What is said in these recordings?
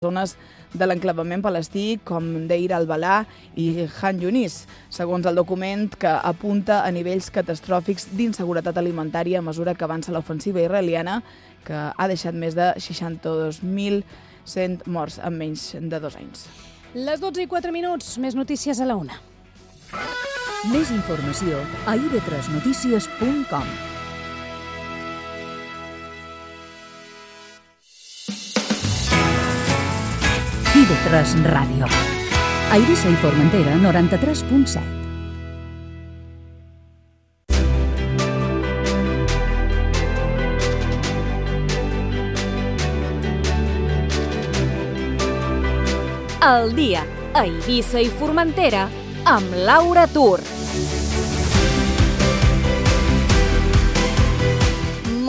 zones de l'enclavament palestí com Deir al-Balà i Han Yunis, segons el document que apunta a nivells catastròfics d'inseguretat alimentària a mesura que avança l'ofensiva israeliana, que ha deixat més de 62.100 morts en menys de 2 anys. Les 12:04, més notícies a la 1. Més informació a ib3notícies.com. IB3 Ràdio. A Eivissa i Formentera, 93.7. El dia a Eivissa i Formentera amb Laura Tur.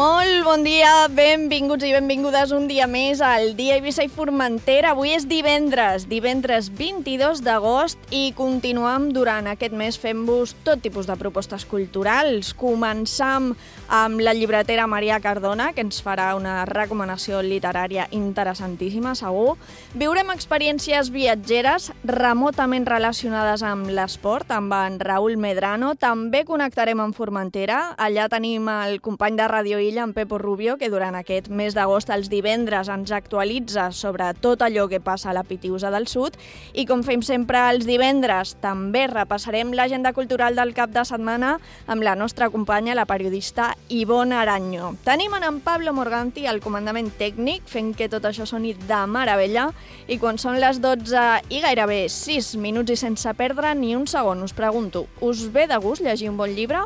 Molt bon dia, benvinguts i benvingudes un dia més al Dia Eivissa i Formentera. Avui és divendres 22 d'agost i continuem durant aquest mes fent-vos tot tipus de propostes culturals. Començam amb la llibretera Maria Cardona, que ens farà una recomanació literària interessantíssima, segur. Viurem experiències viatgeres remotament relacionades amb l'esport, amb en Raúl Medrano. També connectarem amb Formentera. Allà tenim el company de Radio Illa, en Pepo Rubio, que durant aquest mes d'agost, els divendres, ens actualitza sobre tot allò que passa a la Pitiusa del Sud. I com fem sempre els divendres, també repassarem l'agenda cultural del cap de setmana amb la nostra companya, la periodista Ivonne Aranyo. Tenim en Pablo Morganti al comandament tècnic, fent que tot això soni de meravella. I quan són les 12 i gairebé 6 minuts i sense perdre ni un segon, us pregunto, us ve de gust llegir un bon llibre?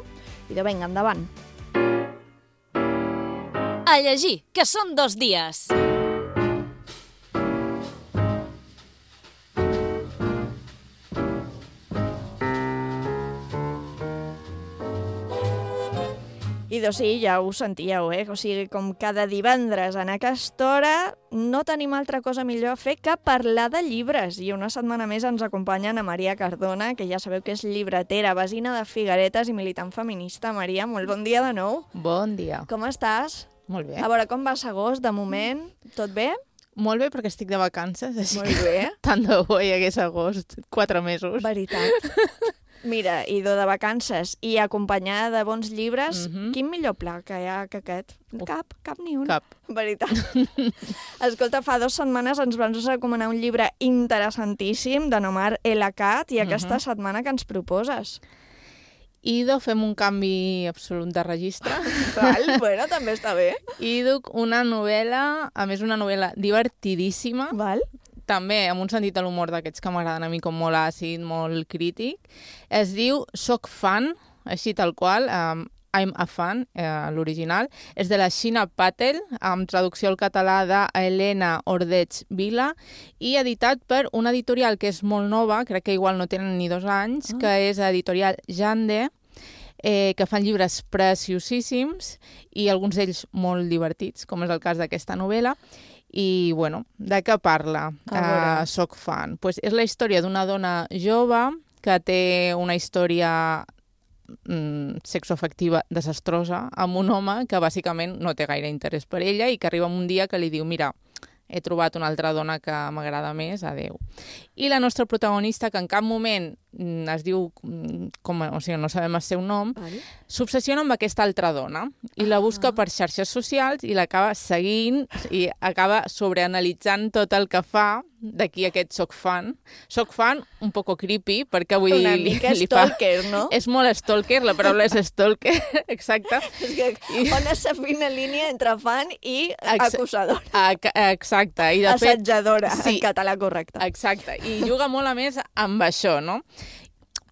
I vinga, endavant. A llegir, que són 2 dies. I doncs sí, ja ho sentíeu, O sigui, com cada divendres en aquesta hora no tenim altra cosa millor a fer que parlar de llibres. I una setmana més ens acompanya Ana Maria Cardona, que ja sabeu que és llibretera, vesina de Figueretes i militant feminista. Maria, molt bon dia de nou. Bon dia. Com estàs? Molt bé. A veure, com vas agost, de moment? Tot bé? Molt bé, perquè estic de vacances, així Molt bé. tant de bo hi hagués agost, 4 mesos. Veritat. Mira, idò de vacances i acompanyada de bons llibres, quin millor pla que hi ha que aquest? Cap ni un. Cap. Veritat. Escolta, fa 2 setmanes ens van recomanar un llibre interessantíssim de Omar El Akkad i aquesta setmana que ens proposes. Ido, fem un canvi absolut de registre. Val, bueno, també està bé. I duc una novel·la, a més una novel·la divertidíssima, Val. també amb un sentit de l'humor d'aquests que m'agraden a mi, com molt àcid, molt crític. Es diu Soc fan, així tal qual, I'm a fan, l'original. És de la Sheena Patel, amb traducció al català d'Helena Ordeig Vila, i editat per una editorial que és molt nova, crec que igual no tenen ni 2 anys, que és editorial Jande, que fan llibres preciosíssims i alguns d'ells molt divertits, com és el cas d'aquesta novel·la. I, bueno, de què parla? Soc fan. Pues és la història d'una dona jove que té una història sexoafectiva desastrosa amb un home que bàsicament no té gaire interès per ella i que arriba un dia que li diu mira, he trobat una altra dona que m'agrada més, adeu. I la nostra protagonista, que en cap moment es diu, o sigui, no sabem el seu nom, s'obsessiona amb aquesta altra dona i la busca per xarxes socials i l'acaba seguint i acaba sobreanalitzant tot el que fa. D'aquí aquest soc fan. Soc fan un poco creepy, perquè vull dir... Una mica stalker, no? És molt stalker, la paraula és stalker, exacte. És que on és la fina línia entre fan i acusadora. Exacte. I de fet, assetjadora, en català correcte. Exacte. I juga molt a més amb això, no?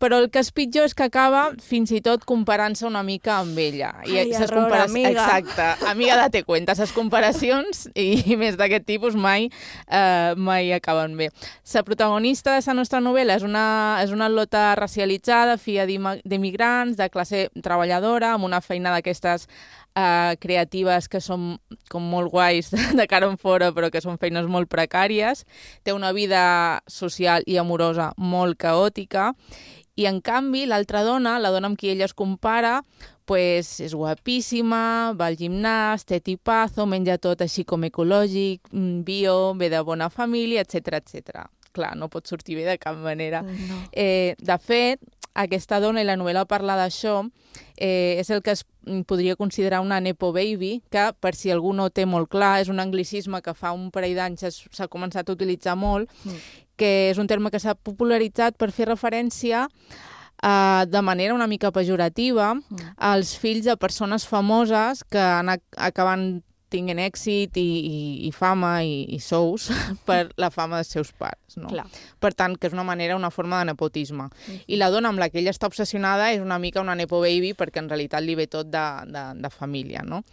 Però el que és pitjor és que acaba fins i tot comparant-se una mica amb ella. Ai, error, amiga. Exacte. Amiga, date cuenta. Les comparacions, i més d'aquest tipus, mai acaben bé. La protagonista de la nostra novel·la és una lota racialitzada, filla d'immigrants, de classe treballadora, amb una feina d'aquestes creatives que són com molt guais de cara en fora, però que són feines molt precàries. Té una vida social i amorosa molt caòtica. I, en canvi, l'altra dona, la dona amb qui ella es compara, pues, és guapíssima, va al gimnàs, té tipazo, menja tot així com ecològic, bio, ve de bona família, etc. Clar, no pot sortir bé de cap manera. No. De fet, aquesta dona, i la novel·la parla d'això, és el que es podria considerar una nepo baby, que, per si algú no té molt clar, és un anglicisme que fa un parell d'anys s'ha començat a utilitzar molt, que és un terme que s'ha popularitzat per fer referència de manera una mica pejorativa als fills de persones famoses que acaben tinguin èxit i fama i sous per la fama dels seus pares. No? Per tant, que és una forma de nepotisme. I la dona amb la que ella està obsessionada és una mica una nepo baby perquè en realitat li ve tot de família. No?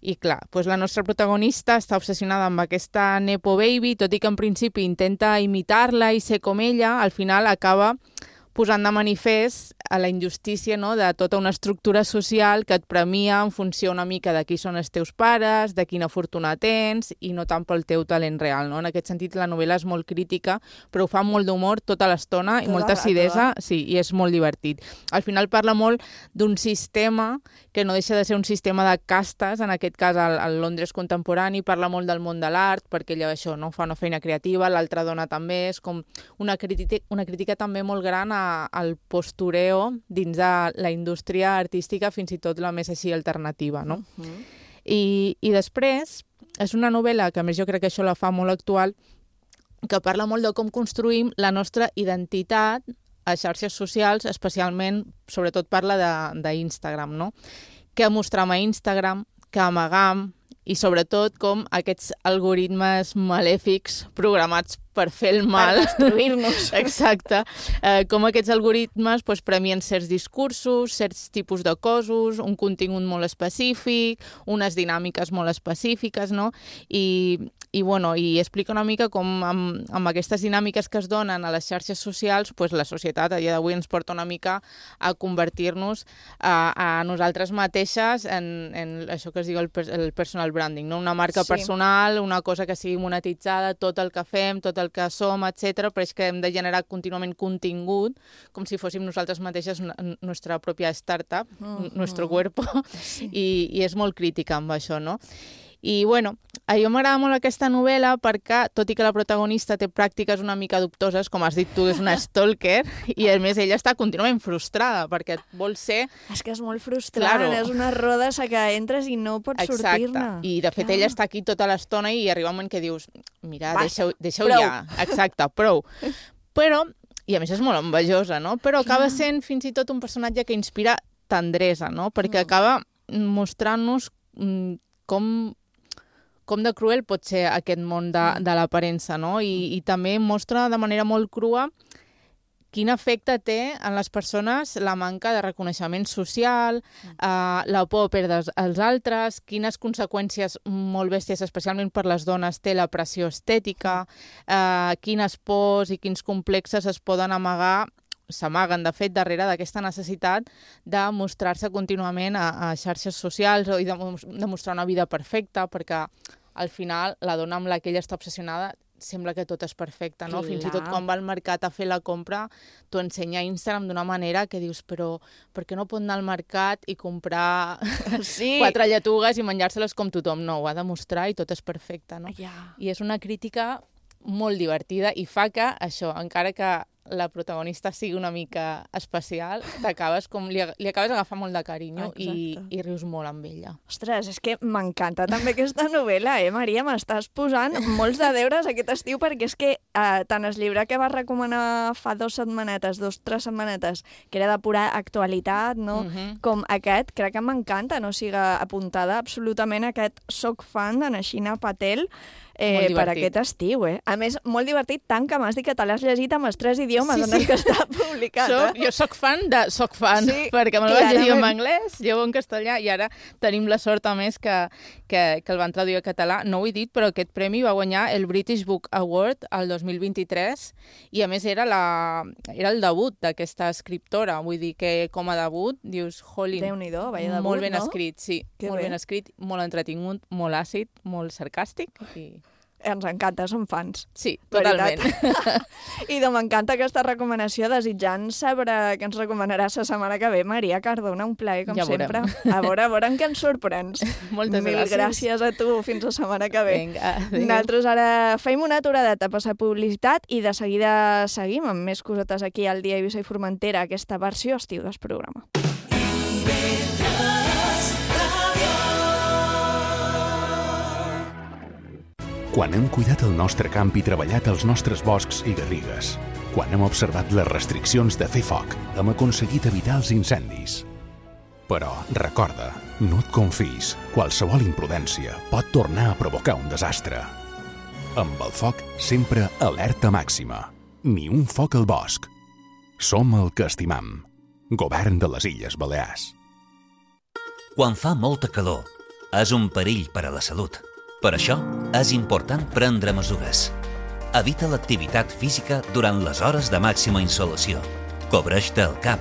I clar, doncs la nostra protagonista està obsessionada amb aquesta nepo baby, tot i que en principi intenta imitar-la i ser com ella, al final acaba posant de manifest a la injustícia, no?, de tota una estructura social que et premia en funció una mica de qui són els teus pares, de quina fortuna tens i no tant pel teu talent real. No? En aquest sentit, la novel·la és molt crítica, però ho fa amb molt d'humor tota l'estona i molta acidesa, sí, i és molt divertit. Al final parla molt d'un sistema que no deixa de ser un sistema de castes, en aquest cas al Londres contemporani, parla molt del món de l'art, perquè ella això no fa una feina creativa, l'altra dona també, és com una crítica també molt gran al postureo dins de la indústria artística, fins i tot la més així alternativa, no? I després és una novel·la que, a més, jo crec que això la fa molt actual, que parla molt de com construïm la nostra identitat a xarxes socials, especialment, sobretot parla d'Instagram, no? Què mostrem a Instagram, què amagam, i sobretot com aquests algoritmes malèfics programats per fer el mal. Per destruir-nos. Exacte. Com aquests algoritmes premien certs discursos, certs tipus de cossos, un contingut molt específic, unes dinàmiques molt específiques, no? I explica una mica com amb aquestes dinàmiques que es donen a les xarxes socials, la societat a dia d'avui ens porta una mica a convertir-nos a nosaltres mateixes en això que es diu el personal branding, no? Una marca personal, una cosa que sigui monetitzada, tot el que fem, tot el que som, etc. Però és que hem de generar contínuament contingut, com si fóssim nosaltres mateixes nostra pròpia startup, nuestro cuerpo, i és molt crítica amb això, no? I, a mi m'agrada molt aquesta novel·la perquè, tot i que la protagonista té pràctiques una mica dubtoses, com has dit tu, és una stalker, i a més ella està contínuament frustrada, perquè vol ser... És que és molt frustrant, és una roda que entres i no pots sortir-ne. Exacte, i de fet ella està aquí tota l'estona i arriba un moment que dius, mira, deixeu ja. Exacte, prou. Però, i a més és molt envejosa, no? Però acaba sent fins i tot un personatge que inspira tendresa, no? Perquè acaba mostrant-nos com de cruel pot ser aquest món de l'aparença, no? I també mostra de manera molt crua quin efecte té en les persones la manca de reconeixement social, la por a perdre els altres, quines conseqüències molt bèsties, especialment per les dones, té la pressió estètica, quines pors i quins complexes es poden amagar, s'amaguen, de fet, darrere d'aquesta necessitat de mostrar-se contínuament a xarxes socials i de mostrar una vida perfecta, perquè al final la dona amb la que ella està obsessionada sembla que tot és perfecte, no? Fins i tot quan va al mercat a fer la compra t'ho ensenya a Instagram d'una manera que dius, però per què no pot anar al mercat i comprar 4 lletugues i menjar-se-les com tothom? No, ho ha de mostrar i tot és perfecte, no? I és una crítica molt divertida i fa que això, encara que la protagonista sigui una mica especial, t'acabes li acabes agafant molt de carinyo i rius molt amb ella. Ostres, és que m'encanta també aquesta novel·la, Maria? M'estàs posant molts de deures aquest estiu, perquè és que tant el llibre que vas recomanar fa 2 setmanetes, que era de pura actualitat, no? Com aquest, crec que m'encanta, no sigui apuntada absolutament a aquest Soc fan de Nashina Patel, per aquest estiu, A més, molt divertit, tant que m'has dit que te l'has llegit amb els 3 idiomes en els que està publicat. Jo soc fan de soc fan, perquè me'l vaig llegir en anglès, llevo en castellà, i ara tenim la sort, a més, que el van traduir a català. No ho he dit, però aquest premi va guanyar el British Book Award el 2023, i a més era el debut d'aquesta escriptora, vull dir que com a debut dius, jolín, Déu-n'hi-do, vaya debut, molt ben escrit, sí, molt ben escrit, molt entretingut, molt àcid, molt sarcàstic, i Ens encanta, som fans. Sí, totalment. I m'encanta aquesta recomanació, desitjant saber què ens recomanaràs la setmana que ve. Maria Cardona, un plaer, com sempre. A veure en què ens sorprens. Moltes Mil gràcies a tu, fins la setmana que ve. Vinga, adéu. Nosaltres ara fem una aturadeta per la publicitat i de seguida seguim amb més cosetes aquí al Dia Eivissa i Formentera, aquesta versió estiu del programa. Quan hem cuidat el nostre camp i treballat els nostres boscs i garrigues, quan hem observat les restriccions de fer foc, hem aconseguit evitar els incendis. Però, recorda, no et confis. Qualsevol imprudència pot tornar a provocar un desastre. Amb el foc, sempre alerta màxima. Ni un foc al bosc. Som el que estimam. Govern de les Illes Balears. Quan fa molta calor, és un perill per a la salut. Per això, és important prendre mesures. Evita l'activitat física durant les hores de màxima insolació. Cobreix-te el cap,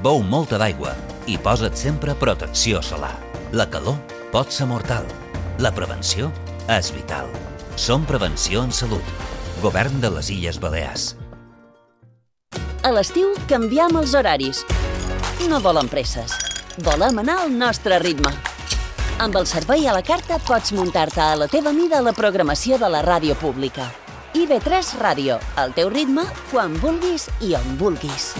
beu molta d'aigua i posa't sempre protecció solar. La calor pot ser mortal. La prevenció és vital. Som Prevenció en Salut. Govern de les Illes Balears. A l'estiu canviem els horaris. No volem presses. Volem anar al nostre ritme. Amb el servei a la carta pots muntar-te a la teva mida la programació de la ràdio pública. IB3 Ràdio, al teu ritme, quan vulguis i on vulguis.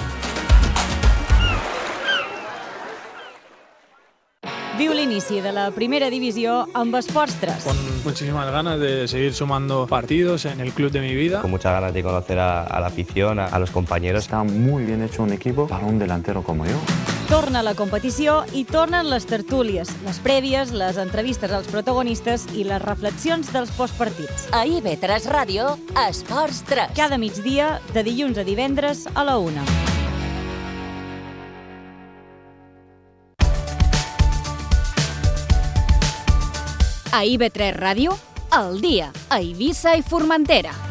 Viu l'inici de la primera divisió amb Esports 3. Con muchísimas ganas de seguir sumando partidos en el club de mi vida. Con muchas ganas de conocer a la afición, a los compañeros. Está muy bien hecho un equipo para un delantero como yo. Torna la competició i tornen les tertúlies, les prèvies, les entrevistes als protagonistes i les reflexions dels postpartits. A IB3 Ràdio, Esports 3. Cada migdia, de dilluns a divendres a la 1. A IB3 Ràdio, al dia, a Eivissa i Formentera.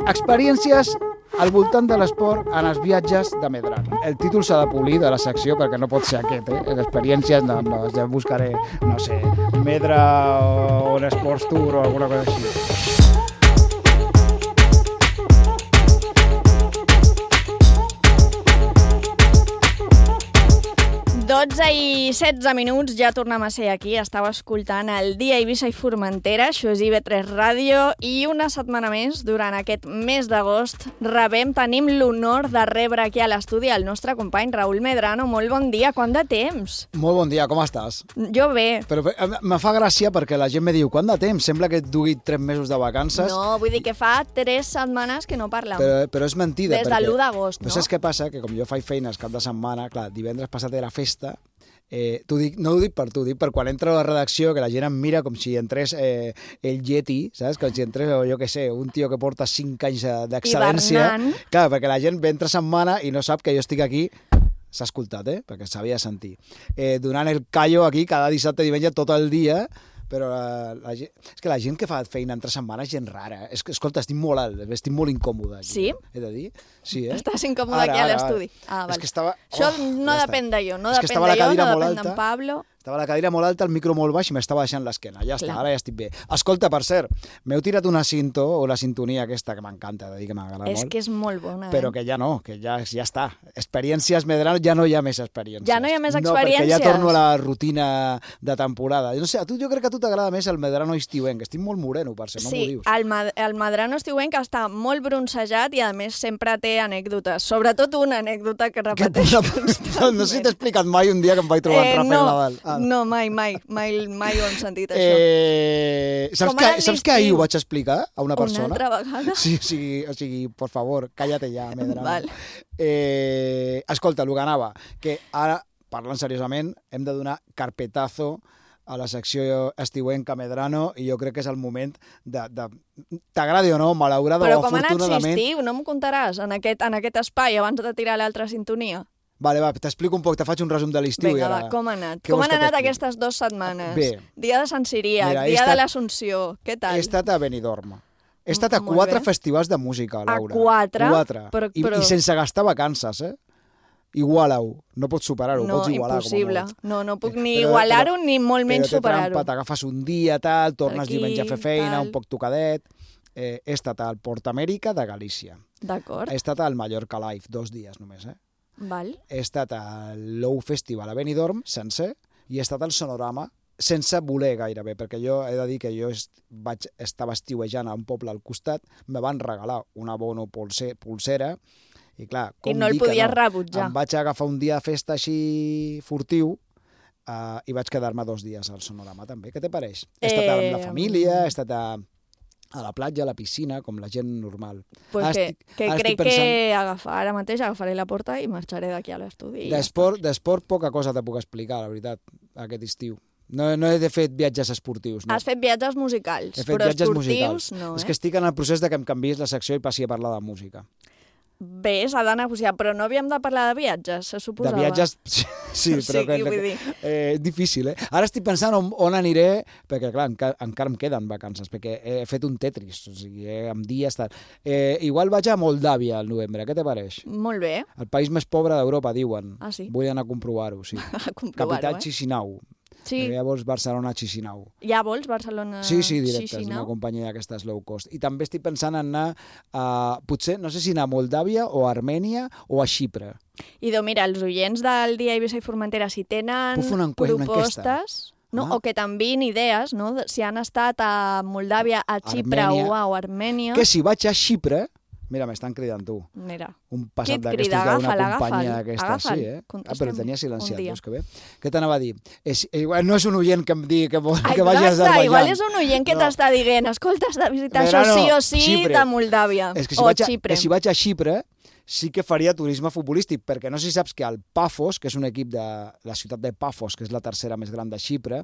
Experiències al voltant de l'esport en els viatges de Medrano. El títol s'ha de polir de la secció perquè no pot ser aquest, Les experiències, no, ja buscaré, no sé, Medra o un Sports Tour o alguna cosa així. 12 i 16 minuts, ja tornem a ser aquí. Estava escoltant el Dia Eivissa i Formentera, això és IB3 Ràdio, i una setmana més, durant aquest mes d'agost, tenim l'honor de rebre aquí a l'estudi el nostre company Raül Medrano. Molt bon dia, quant de temps? Molt bon dia, com estàs? Jo bé. Però me fa gràcia perquè la gent me diu, quant de temps? Sembla que et dugui 3 mesos de vacances. No, vull dir que fa 3 setmanes que no parlem. Però és mentida. Des de l'1 d'agost, no? Però saps què passa? Que com jo faig feines cap de setmana, clar, divendres passat era festa, no ho dic per tu, dic per quan entro a la redacció, que la gent em mira com si entrés el Yeti, saps? Com si entrés, jo què sé, un tio que porta 5 anys d'excedència. Clar, perquè la gent ve entre setmana i no sap que jo estic aquí. S'ha escoltat, perquè s'havia de sentir. Donant el callo aquí cada dissabte i diumenge tot el dia, però és que la gent que fa feina entre setmanes és gent rara. Escolta, estic molt alt, estic molt incòmode aquí. Sí? He de dir? Sí, Estàs incòmode aquí a l'estudi. Ah, val. Això no depèn de jo, no depèn de jo, no depèn d'en Pablo. Estava la cadira molt alta, el micro molt baix i m'estava deixant l'esquena. Ja està, ara ja estic bé. Escolta, per cert, m'heu tirat una cinto o la sintonia aquesta que m'encanta, de dir que m'agrada molt. És que és molt bona, Però que ja no, que ja està. Experiències Medrano, ja no hi ha més experiències. Ja no hi ha més experiències? No, perquè ja torno a la rutina de temporada. No sé, jo crec que a tu t'agrada més el Medrano estiuenc, estic molt moreno, per ser, no m'ho dius. Sí, el Medrano estiuenc està molt bronzejat i a més sempre té anècdotes, sobretot una anècdota que repeteixo constantment. No sé si t'he explicat mai un dia que em vaig trobar en Rafael Nadal. No, mai ho hem sentit, això. Saps que ahir ho vaig explicar a una persona? Una altra vegada? Sí, o sigui, por favor, cállate ja, Medrano. Val. Escolta, el que anava, que ara, parlant seriosament, hem de donar carpetazo a la secció estiuenca Medrano i jo crec que és el moment de t'agradi o no, malauradament o afortunadament... Però com ha anat estiu, no m'ho contaràs en aquest espai abans de tirar l'altra sintonia? Vale, va, t'explico un poc, te faig un resum de l'estiu. Vinga, va, com ha anat? Com han anat aquestes 2 setmanes? Bé. Dia de Sant Ciríac, dia de l'Assumpció, què tal? He estat a Benidorm. He estat a 4 festivals de música, Laura. A 4? I sense gastar vacances, Iguala-ho. No pots superar-ho, pots igualar. No, impossible. No puc ni igualar-ho ni molt menys superar-ho. Però t'agafes un dia, tal, tornes diumenge a fer feina, un poc tocadet. He estat al Port Amèrica de Galícia. D'acord. He estat al Mallorca Live, 2 dies només, Val. He estat al Low Festival a Benidorm, sencer, i he estat al Sonorama, sense voler gairebé, perquè jo he de dir que jo estava estiuejant a un poble al costat, me van regalar un abono pulsera, i clar, com no el podies rebutjar. Em vaig agafar un dia de festa així furtiu i vaig quedar-me 2 dies al Sonorama també. Què te pareix? He estat amb la família, he estat a la platja, a la piscina, com la gent normal. Pues crec que ara mateix agafaré la porta i marxaré d'aquí a l'estudi. D'esport poca cosa te puc explicar, la veritat, aquest estiu. No he fet viatges esportius. No. Has fet viatges musicals, però esportius no. És que estic en el procés de que em canviïs la secció i passi a parlar de música. Bé, s'ha de negociar, però no havíem de parlar de viatges, se suposava. De viatges, sí, però difícil, Ara estic pensant on aniré, perquè clar, encara em queden vacances, perquè he fet un Tetris, o sigui, amb dies... Igual vaig a Moldàvia al novembre, què te pareix? Molt bé. El país més pobre d'Europa, diuen. Ah, sí? Vull anar a comprovar-ho, sí. Capital Chisinau. Sí. Ja vols Barcelona-Chisinau. Ja vols Barcelona? Sí, directe, és una companyia d'aquestes low cost. I també estic pensant en anar potser, no sé si anar a Moldàvia o a Armènia o a Xipre. Idò, mira, els oients del Dia Eivissa i Formentera, si tenen propostes... No, o que t'enviïn idees, no? Si han estat a Moldàvia, a Xipre o a Armènia... Que si vaig a Xipre... Mira, m'estan cridant tu. Mira. Un passat d'aquestos d'una companyia d'aquesta. Sí, però el tenia silenciat, veus que bé. Què t'anava a dir? No és un oient que em digui que vagi a Azerbaiyán. Igual és un oient que t'està dient, escolta, has de visitar això sí o sí de Moldàvia o Xipre. Si vaig a Xipre, sí que faria turisme futbolístic, perquè no sé si saps que el Pafos, que és un equip de la ciutat de Pafos, que és la tercera més gran de Xipre,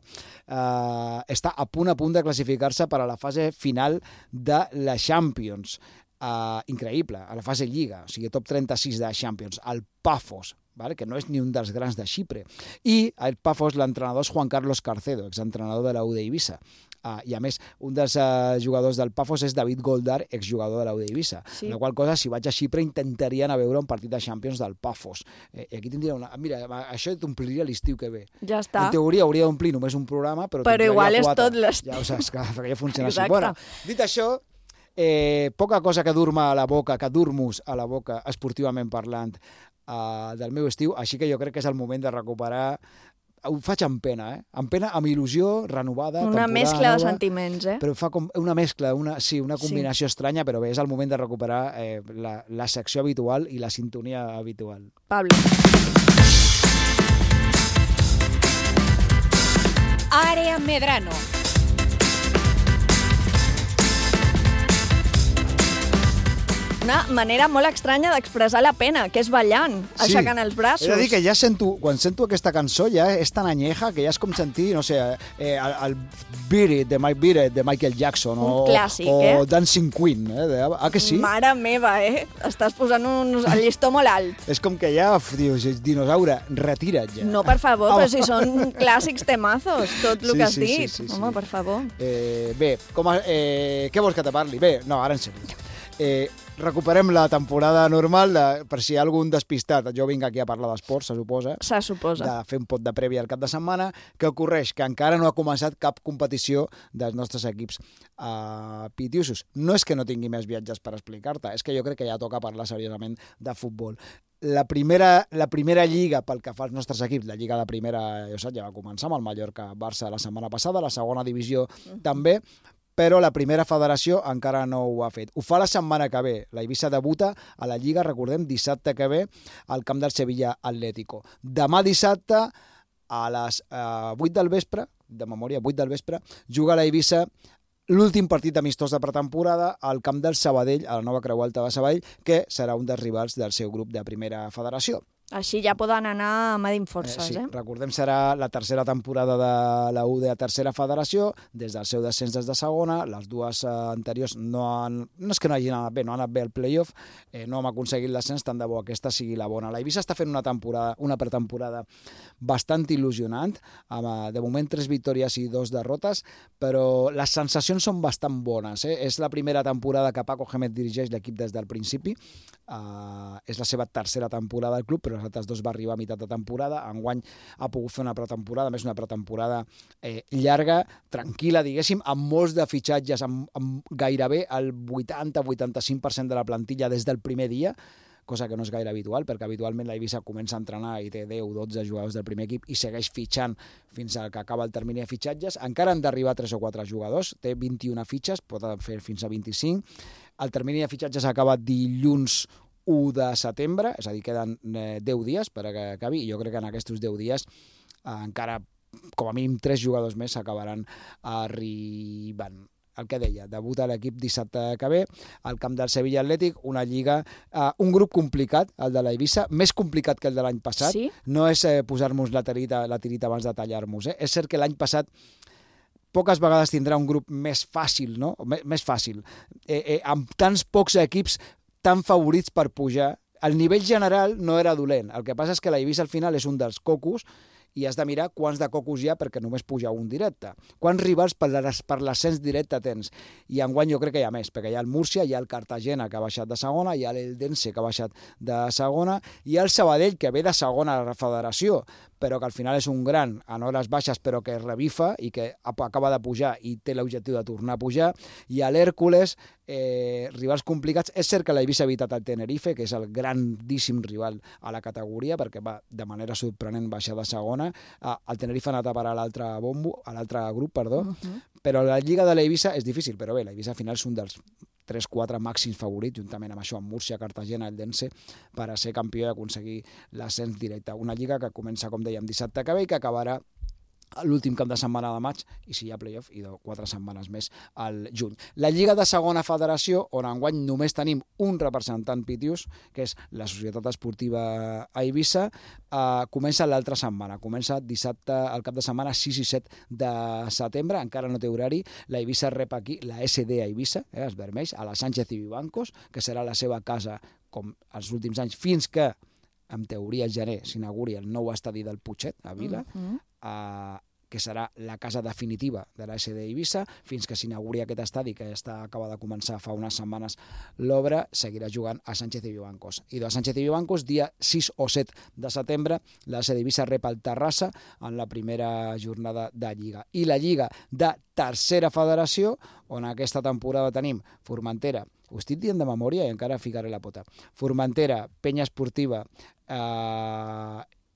està a punt de classificar-se per a la fase final de la Champions. Increïble, a la fase Lliga, o sigui, top 36 de Champions, el Pafos, que no és ni un dels grans de Xipre. I el Pafos, l'entrenador és Juan Carlos Carcedo, exentrenador de la U d'Eivissa. I a més, un dels jugadors del Pafos és David Goldar, exjugador de la U d'Eivissa. Sí. La qual cosa, si vaig a Xipre, intentaria anar a veure un partit de Champions del Pafos. I aquí tindria una... Mira, això t'ompliria l'estiu que ve. Ja està. En teoria hauria d'omplir només un programa, però igual és tot l'estiu. Ja ho saps, perquè ja funciona així. Bueno, dit això, poca cosa que dur-me a la boca, que dur-nos a la boca, esportivament parlant, del meu estiu, així que jo crec que és el moment de recuperar. Ho faig amb pena, amb il·lusió renovada, una mescla de sentiments, però fa com una mescla, una combinació estranya, però bé, és el moment de recuperar la secció habitual i la sintonia habitual. Pablo. Àrea Medrano. Una manera molt estranya d'expressar la pena, que és ballant, aixecant els braços. He de dir que ja quan sento aquesta cançó ja és tan anyeja que ja és com sentir, no sé, el Beat It, de Michael Jackson, un clàssic, o Dancing Queen, que sí? Mare meva, estàs posant el llistó molt alt. És com que ja, dius, dinosaure, retira't ja. No, per favor, però si són clàssics temazos, tot el que has dit. Home, per favor. Bé, què vols que te parli? Bé, no, ara en sèrio. Recuperem la temporada normal, per si hi ha algun despistat. Jo vinc aquí a parlar d'esports, se suposa. Se suposa. De fer un pot de prèvia al cap de setmana. Què ocorreix? Que encara no ha començat cap competició dels nostres equips pitiusos. No és que no tingui més viatges per explicar-te, és que jo crec que ja toca parlar seriosament de futbol. La primera lliga pel que fa als nostres equips, la lliga de primera, ja va començar amb el Mallorca-Barça la setmana passada, la segona divisió també, però la primera federació encara no ho ha fet. Ho fa la setmana que ve. La Eivissa debuta a la Lliga, recordem, dissabte que ve al camp del Sevilla Atlético. Demà dissabte, a les 8 del vespre, de memòria, 8 del vespre, juga la Eivissa l'últim partit amistós de pretemporada al camp del Sabadell, a la nova Creu Alta de Sabadell, que serà un dels rivals del seu grup de primera federació. Així ja poden anar medint forces, Sí, recordem, serà la tercera temporada de la UD a tercera federació, des del seu descens des de segona, les dues anteriors no és que no hagin anat bé, no han anat bé al playoff, no hem aconseguit l'ascens, tant de bo aquesta sigui la bona. La Eivissa està fent una pretemporada bastant il·lusionant, amb de moment 3 victòries i 2 derrotes, però les sensacions són bastant bones. És la primera temporada que Paco Gémez dirigeix l'equip des del principi, és la seva tercera temporada al club, però els altres 2 va arribar a meitat de temporada. Enguany ha pogut fer una pretemporada, més una pretemporada llarga, tranquil·la, diguéssim, amb molts de fitxatges, amb gairebé el 80-85% de la plantilla des del primer dia, cosa que no és gaire habitual, perquè habitualment la Eivissa comença a entrenar i té 10-12 jugadors del primer equip i segueix fitxant fins al que acaba el termini de fitxatges. Encara han d'arribar 3 o 4 jugadors, té 21 fitxes, pot fer fins a 25. El termini de fitxatges acaba dilluns 1 de setembre, és a dir, queden 10 dies per que acabi, i jo crec que en aquests 10 dies encara com a mínim 3 jugadors més s'acabaran arribant. El que deia, debuta l'equip dissabte que ve, al camp del Sevilla Atlètic, una lliga, un grup complicat, el de la Eivissa, més complicat que el de l'any passat. Sí? No és posar-nos la tirita abans de tallar-nos. És cert que l'any passat poques vegades tindrà un grup més fàcil, no? Més fàcil. Amb tants pocs equips tan favorits per pujar, el nivell general no era dolent. El que passa és que la Eivissa al final és un dels cocos i has de mirar quants de cocos hi ha perquè només puja un directe. Quants rivals per l'ascens directe tens? I enguany jo crec que hi ha més, perquè hi ha el Múrcia, hi ha el Cartagena, que ha baixat de segona, hi ha l'Eldense, que ha baixat de segona, hi ha el Sabadell, que ve de segona a la federació, però que al final és un gran en hores baixes, però que revifa i que acaba de pujar i té l'objectiu de tornar a pujar. I a l'Hèrcules, rivals complicats. És cert que l'Eivissa ha evitat el Tenerife, que és el grandíssim rival a la categoria, perquè va de manera sorprenent baixar de segona. El Tenerife ha anat a parar a l'altre grup, però la Lliga de l'Eivissa és difícil, però bé, l'Eivissa al final és un dels 3-4 màxims favorits, juntament amb això, amb Múrcia, Cartagena, Eldense, per a ser campió i aconseguir l'ascens directe. Una lliga que comença, com dèiem, dissabte que ve i que acabarà l'últim cap de setmana de maig, i si hi ha playoff, i 4 setmanes més al juny. La Lliga de Segona Federació, on enguany només tenim un representant pitius, que és la Societat Esportiva Eivissa, comença l'altra setmana. Comença dissabte, al cap de setmana 6 i 7 de setembre, encara no té horari. La Eivissa rep aquí la SD Eivissa, els vermells, a la Sánchez i Vivancos, que serà la seva casa, com els últims anys, fins que, en teoria, al gener s'inauguri el nou estadi del Putxet, a Vila, que serà la casa definitiva de la SD Eivissa, fins que s'inauguri aquest estadi, que acaba de començar fa unes setmanes l'obra, seguirà jugant a Sánchez i Vivancos. I de Sánchez i Vivancos, dia 6 o 7 de setembre, la SD Eivissa rep el Terrassa en la primera jornada de Lliga. I la Lliga de Tercera Federació, on aquesta temporada tenim Formentera, ho estic dient de memòria i encara ficaré la pota, Formentera, Penya Esportiva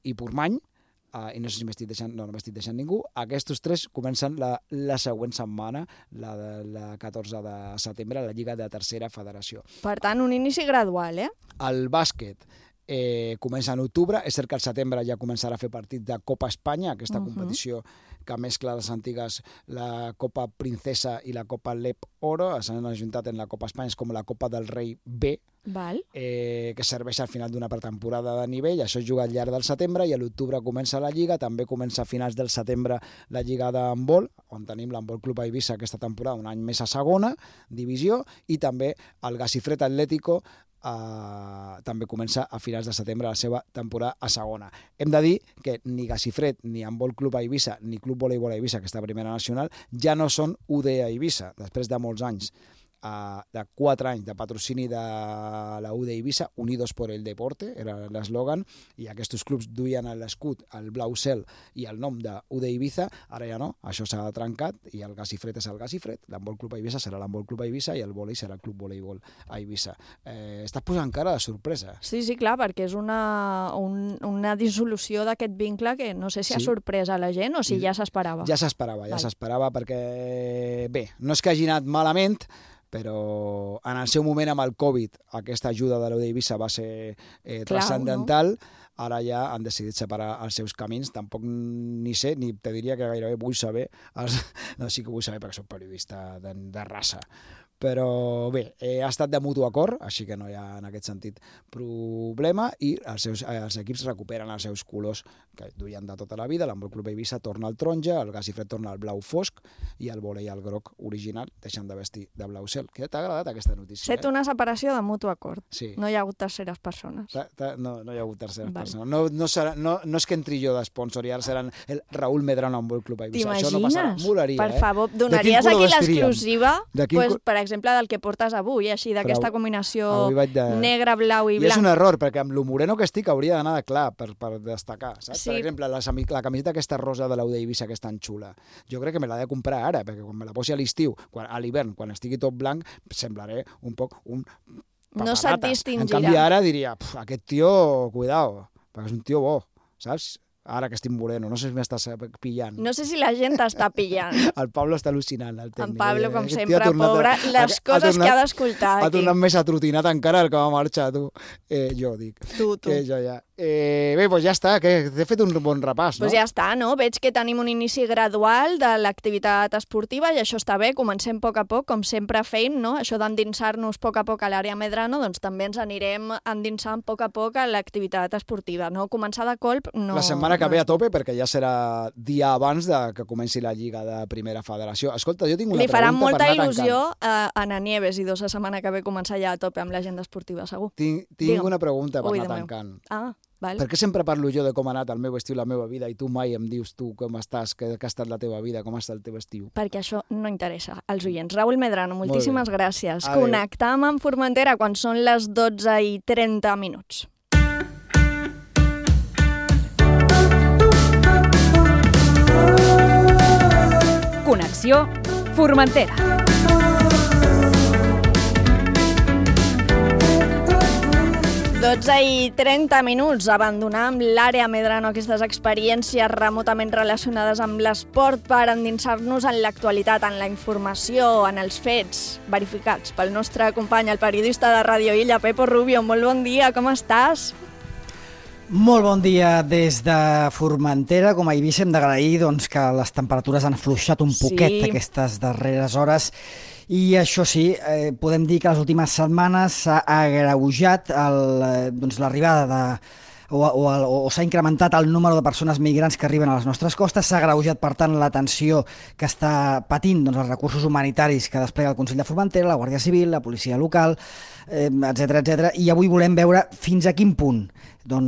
i Portmany, i no sé si m'estic deixant, no m'estic deixant ningú. Aquests 3 comencen la següent setmana, la 14 de setembre, la Lliga de Tercera Federació. Per tant, un inici gradual, El bàsquet comença en octubre. És cert que al setembre ja començarà a fer partits de Copa Espanya, aquesta competició que mescla les antigues, la Copa Princesa i la Copa Lep Oro, s'han ajuntat en la Copa Espanya, és com la Copa del Rei B, que serveix al final d'una pretemporada de nivell. Això es juga al llarg del setembre i a l'octubre comença la Lliga. També comença a finals del setembre la Lliga d'handbol, on tenim l'Handbol Club Eivissa aquesta temporada, un any més a segona divisió, i també el Gasifred Atlético també comença a finals de setembre la seva temporada a segona. Hem de dir que ni Gasifred, ni Handbol Club Eivissa, ni Club Voleibol Eivissa, aquesta primera nacional, ja no són UD Eivissa, després de molts anys, de 4 anys de patrocini de la UD Eivissa, Unidos por el Deporte, era l'eslògan, i aquests clubs duien l'escut, el blau cel i el nom de UD Eivissa. Ara ja no, això s'ha trencat i el Gasifred és el Gasifred, l'Handbol Club Eivissa serà l'Handbol Club Eivissa i el vòlei serà el Club Voleibol Eivissa. Estàs posant cara de sorpresa. Sí, clar, perquè és una dissolució d'aquest vincle que no sé si ha sorprès a la gent o si ja s'esperava. Ja s'esperava perquè, bé, no és que hagi anat malament, però en el seu moment amb el Covid aquesta ajuda de l'UD Eivissa va ser transcendental. Ara ja han decidit separar els seus camins. Tampoc ni sé, ni te diria que gairebé vull saber, no, sí que vull saber perquè soc periodista de raça, Però bé, ha estat de mutu acord, així que no hi ha en aquest sentit problema, i els equips recuperen els seus colors que duien de tota la vida. L'Handbol Club Eivissa torna al taronja, el Gas i Fred torna al blau fosc i el vòlei al groc original deixen de vestir de blau cel. Què t'ha agradat aquesta notícia? Set una separació de mutu acord. Sí. No hi ha hagut terceres persones. No hi ha hagut terceres persones. No és que entri jo d'esponsor i ara seran el Raúl Medrano Handbol Club Eivissa. Això no passarà. Molaria, per favor, donaries aquí l'exclusiva, per exemple, del que portes avui, així, d'aquesta combinació negre, blau i blanc. I és un error, perquè amb lo moreno que estic hauria d'anar de clar per destacar, saps? Sí. Per exemple, la camiseta aquesta rosa de l'Aude Eivissa, que és tan xula, jo crec que me l'ha de comprar ara, perquè quan me la posi a l'estiu, a l'hivern, quan estigui tot blanc, semblaré un poc un papanata. No se't distingirà. En canvi, ara diria, aquest tio, cuidao, perquè és un tio bo, saps? Ara que estic moreno, no sé si m'estàs pillant. No sé si la gent t'està pillant. El Pablo està al·lucinant, el tècnic. En Pablo, com sempre, pobre, les coses que ha d'escoltar aquí. Ha tornat més atrotinat encara el que va marxar, tu. Jo dic. Tu. Jo ja. Bé, doncs ja està, que t'he fet un bon repàs, no? Doncs ja està, no? Veig que tenim un inici gradual de l'activitat esportiva i això està bé, comencem a poc, com sempre fem, no? Això d'endinsar-nos a poc a l'àrea Medrano, doncs també ens anirem endinsant a poc a l'activitat esportiva, no? Començar de colp no... La setmana que ve a tope, perquè ja serà dia abans de que comenci la Lliga de Primera Federació. Escolta, jo tinc una pregunta per anar tancant. Li farà molta il·lusió a Ana Nieves i la setmana que ve començar ja a tope amb l'agenda esportiva, segur. Tinc una pregunta per anar tancant. Val. Per què sempre parlo jo de com ha anat el meu estiu, la meva vida, i tu mai em dius tu com estàs, que ha estat la teva vida, com ha estat el teu estiu? Perquè això no interessa als oients. Raúl Medrano, moltíssimes gràcies. Connectam amb Formentera quan són les 12:30. Connexió Formentera. Dotze i 30 minuts, abandonem l'àrea Medrano, aquestes experiències remotament relacionades amb l'esport per endinsar-nos en l'actualitat, en la informació, en els fets verificats pel nostre company, el periodista de Ràdio Illa, Pepo Rubio. Molt bon dia, com estàs? Molt bon dia des de Formentera. Com a Eivissa hem d'agrair que les temperatures han afluixat un poquet aquestes darreres hores. I això sí, podem dir que les últimes setmanes s'ha agreujat l'arribada o s'ha incrementat el número de persones migrants que arriben a les nostres costes, s'ha agreujat, per tant, la tensió que està patint els recursos humanitaris que desplega el Consell de Formentera, la Guàrdia Civil, la policia local, etc. I avui volem veure fins a quin punt el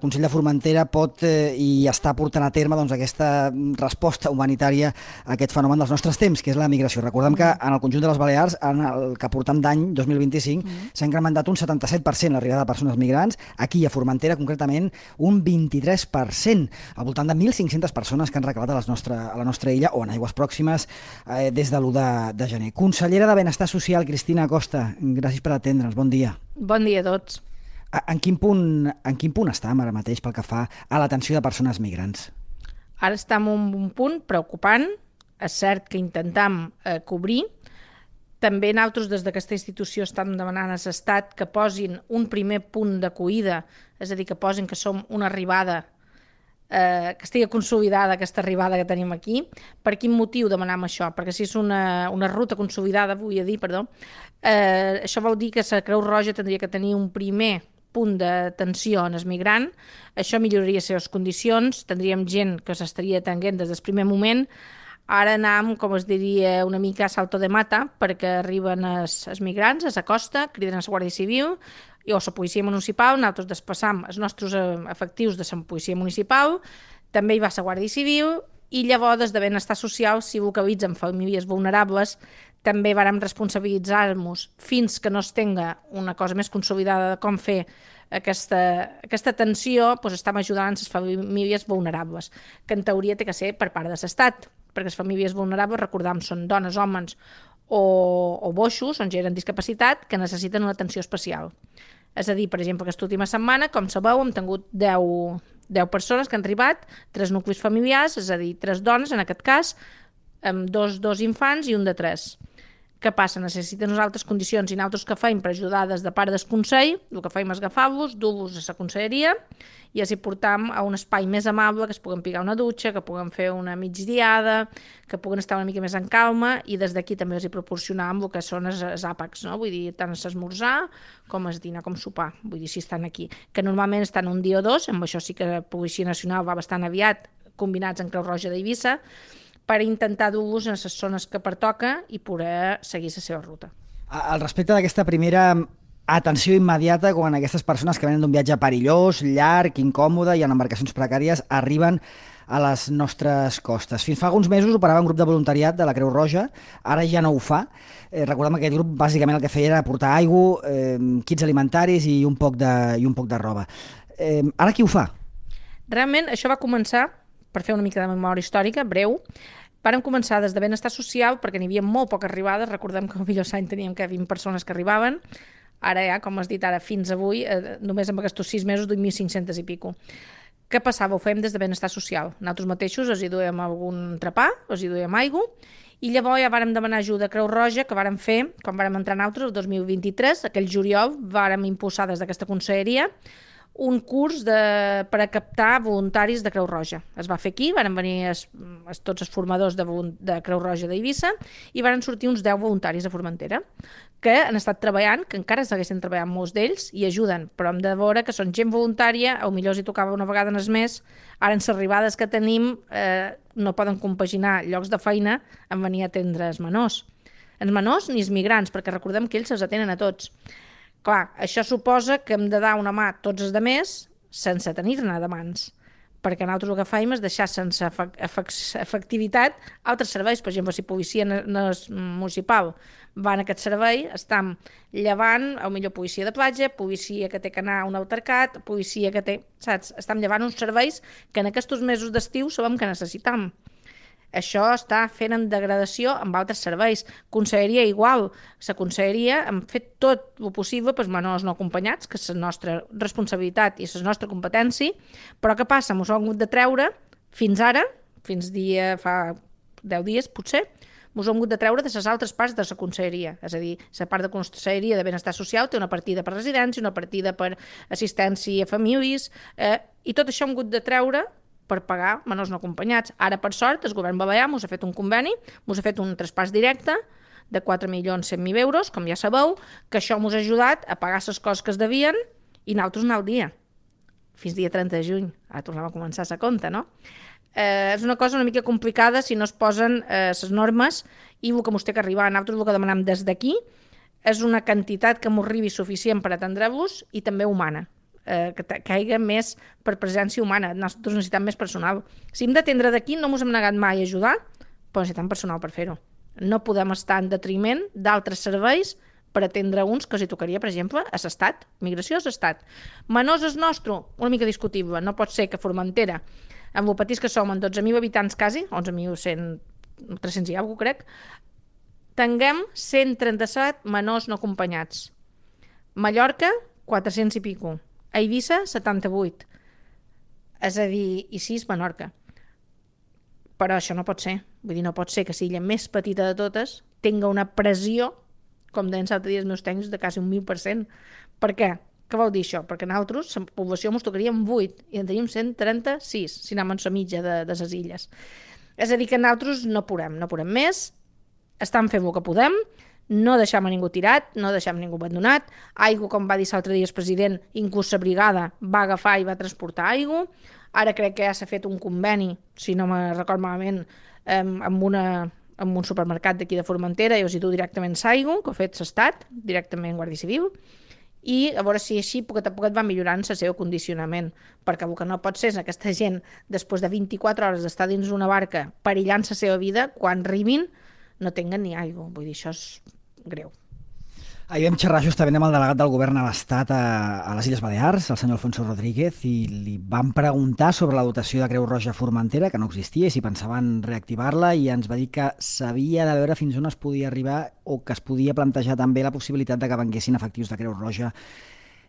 Consell de Formentera pot i està portant a terme aquesta resposta humanitària a aquest fenomen dels nostres temps, que és la migració. Recordem que en el conjunt de les Balears, en el que portem d'any 2025, s'ha incrementat un 77% l'arribada de persones migrants, aquí a Formentera concretament un 23%, al voltant de 1.500 persones que han recalat a la nostra illa o en aigües pròximes des de l'1 de gener. Consellera de Benestar Social, Cristina Costa, gràcies per atendre'ns, bon dia. Bon dia a tots. En quin punt estem ara mateix pel que fa a l'atenció de persones migrants? Ara estem en un punt preocupant. És cert que intentem cobrir. També nosaltres des d'aquesta institució estem demanant a l'Estat que posin un primer punt d'acollida, és a dir, que posin que som una arribada, que estigui consolidada aquesta arribada que tenim aquí. Per quin motiu demanem això? Perquè si és una ruta consolidada, això vol dir que la Creu Roja tindria que tenir un primer punt d'atenció en el migrant, això milloraria les seves condicions, tindríem gent que s'estaria atenent des del primer moment. Ara anem, com es diria, una mica a salto de mata, perquè arriben els migrants a la costa, criden a la Guàrdia Civil o la policia municipal, nosaltres desplaçam els nostres efectius de la policia municipal, també hi va la Guàrdia Civil, i llavors des de Benestar Social, si localitzen famílies vulnerables, també vàrem responsabilitzar-nos fins que no es tenga una cosa més consolidada de com fer aquesta atenció, estem ajudant les famílies vulnerables, que en teoria té que ser per part de l'Estat, perquè les famílies vulnerables, recordem, són dones, homes o boixos, on gent amb discapacitat, que necessiten una atenció especial. És a dir, per exemple, aquesta última setmana, com sabeu, hem tingut 10 persones que han arribat, 3 nuclis familiars, és a dir, 3 dones, en aquest cas, amb dos infants i un de 3, Què passa? Necessiten unes altres condicions i nosaltres que feim per ajudar des de part del Consell, el que feim és agafar-los, dur-los a la conselleria i els hi portam a un espai més amable, que es puguen picar una dutxa, que puguen fer una migdiada, que puguen estar una mica més en calma i des d'aquí també els hi proporcionam el que són els àpats, no? Vull dir, tant l'esmorzar com el dinar com sopar, vull dir, si estan aquí. Que normalment estan un dia o dos, amb això sí que la Policia Nacional va bastant aviat, combinats en Creu Roja d'Eivissa, per intentar dur-los a les zones que pertoca i poder seguir la seva ruta. Al respecte d'aquesta primera atenció immediata quan aquestes persones que venen d'un viatge perillós, llarg, incòmode i en embarcacions precàries arriben a les nostres costes. Fins fa alguns mesos operava un grup de voluntariat de la Creu Roja, ara ja no ho fa. Recordem que aquest grup bàsicament el que feia era portar aigua, kits alimentaris i un poc de roba. Ara qui ho fa? Realment això va començar, per fer una mica de memòria històrica, breu, vàrem començar des de benestar social perquè n'hi havia molt poques arribades, recordem que al millor any teníem que 20 persones que arribaven, ara ja, com has dit ara, fins avui, només amb aquests 6 mesos, 2.500 i pico. Què passava? Ho fèiem des de benestar social. Nosaltres mateixos els hi duem algun entrepà, els hi duem aigua, i llavors ja vàrem demanar ajuda a Creu Roja, que vàrem fer, quan vàrem entrar nosaltres, el 2023, aquell juliol, vàrem impulsar des d'aquesta conselleria un curs per a captar voluntaris de Creu Roja. Es va fer aquí, van venir tots els formadors de Creu Roja d'Eivissa i van sortir uns 10 voluntaris a Formentera que han estat treballant, que encara segueixen treballant molts d'ells i ajuden, però hem de veure que són gent voluntària, o millor si tocava una vegada en el mes, ara en les arribades que tenim no poden compaginar llocs de feina amb venir a atendre els menors. Els menors ni els migrants, perquè recordem que ells els atenen a tots. Clar, això suposa que hem de dar una mà a tots els altres sense tenir-ne de mans, perquè nosaltres el que fem és deixar sense efectivitat altres serveis. Per exemple, si policia municipal va en aquest servei, estem llevant, potser policia de platja, policia que té que anar a un altercat, policia que té... Saps? Estem llevant uns serveis que en aquests mesos d'estiu sabem que necessitam. Això està fent en degradació amb altres serveis. Conselleria igual. La conselleria hem fet tot el possible pels menors no acompanyats, que és la nostra responsabilitat i és la nostra competència, però què passa? Ens ho hem hagut de treure fins ara, fins fa 10 dies potser, ens ho hem hagut de treure de les altres parts de la conselleria. És a dir, la part de conselleria de benestar social té una partida per residència, una partida per assistència a famílies, i tot això hem hagut de treure per pagar menors no acompanyats. Ara, per sort, el govern balear ens ha fet un conveni, ens ha fet un traspàs directe de 4.100.000 euros, com ja sabeu, que això ens ha ajudat a pagar les coses que es devien i nosaltres anar al dia, fins dia 30 de juny. Ara tornem a començar la compta, no? És una cosa una mica complicada si no es posen les normes i el que ens té que arribar. Nosaltres el que demanem des d'aquí és una quantitat que ens arribi suficient per atendre-vos i també humana. Que caiga més per presència humana. Nosaltres necessitem més personal. Si hem d'atendre d'aquí, no ens hem negat mai a ajudar, però necessitem personal per fer-ho. No podem estar en detriment d'altres serveis per atendre uns que els tocaria, per exemple, a l'estat. Migració a l'estat. Menors és nostre, una mica discutible. No pot ser que Formentera, amb el petits que som, en 12.000 habitants quasi, 11.300 i alguna cosa, crec, tinguem 137 menors no acompanyats. Mallorca, 400 i pico. A Eivissa, 78. És a dir, i 6 Menorca. Però això no pot ser. Vull dir, no pot ser que si l'illa més petita de totes tinga una pressió, com deien l'altre dia els meus tècnics, de quasi un 1.000%. Per què? Què vol dir això? Perquè nosaltres, la població ens tocaríem 8 i en tenim 136, si anem en la mitja de les illes. És a dir, que nosaltres no podem més, estem fent el que podem, no deixem a ningú tirat, no deixem ningú abandonat. Aigua, com va dir l'altre dia el president, inclús la brigada va agafar i va transportar aigua. Ara crec que ja s'ha fet un conveni, si no me record malament, amb un supermercat d'aquí de Formentera i els hi du directament l'aigua, que ha fet l'Estat, directament Guàrdia Civil, i a veure si així poquet a poquet va millorant el seu condicionament, perquè el que no pot ser és aquesta gent, després de 24 hores d'estar dins una barca perillant la seva vida, quan arribin no tinguen ni aigua. Vull dir, això és greu. Ahir vam xerrar justament amb el delegat del govern a l'Estat a les Illes Balears, el senyor Alfonso Rodríguez, i li vam preguntar sobre la dotació de Creu Roja a Formentera, que no existia, i si pensaven reactivar-la, i ens va dir que s'havia de veure fins on es podia arribar o que es podia plantejar també la possibilitat de que venguessin efectius de Creu Roja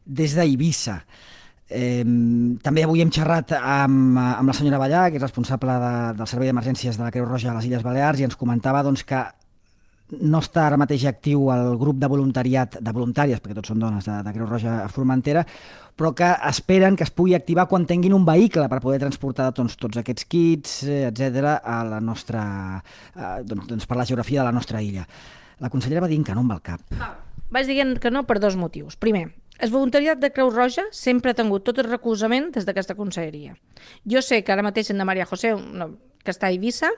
des d'Eivissa. També avui hem xerrat amb la senyora Ballà, que és responsable del Servei d'Emergències de la Creu Roja a les Illes Balears, i ens comentava doncs, que no està ara mateix actiu el grup de voluntàries, perquè tots són dones de Creu Roja a Formentera, però que esperen que es pugui activar quan tinguin un vehicle per poder transportar tots aquests kits, etc., a la nostra, per la geografia de la nostra illa. La consellera va dir que no amb el cap. Vaig dient que no per dos motius. Primer, el voluntariat de Creu Roja sempre ha tingut tot el recolzament des d'aquesta conselleria. Jo sé que ara mateix en de Maria José, que està a Eivissa,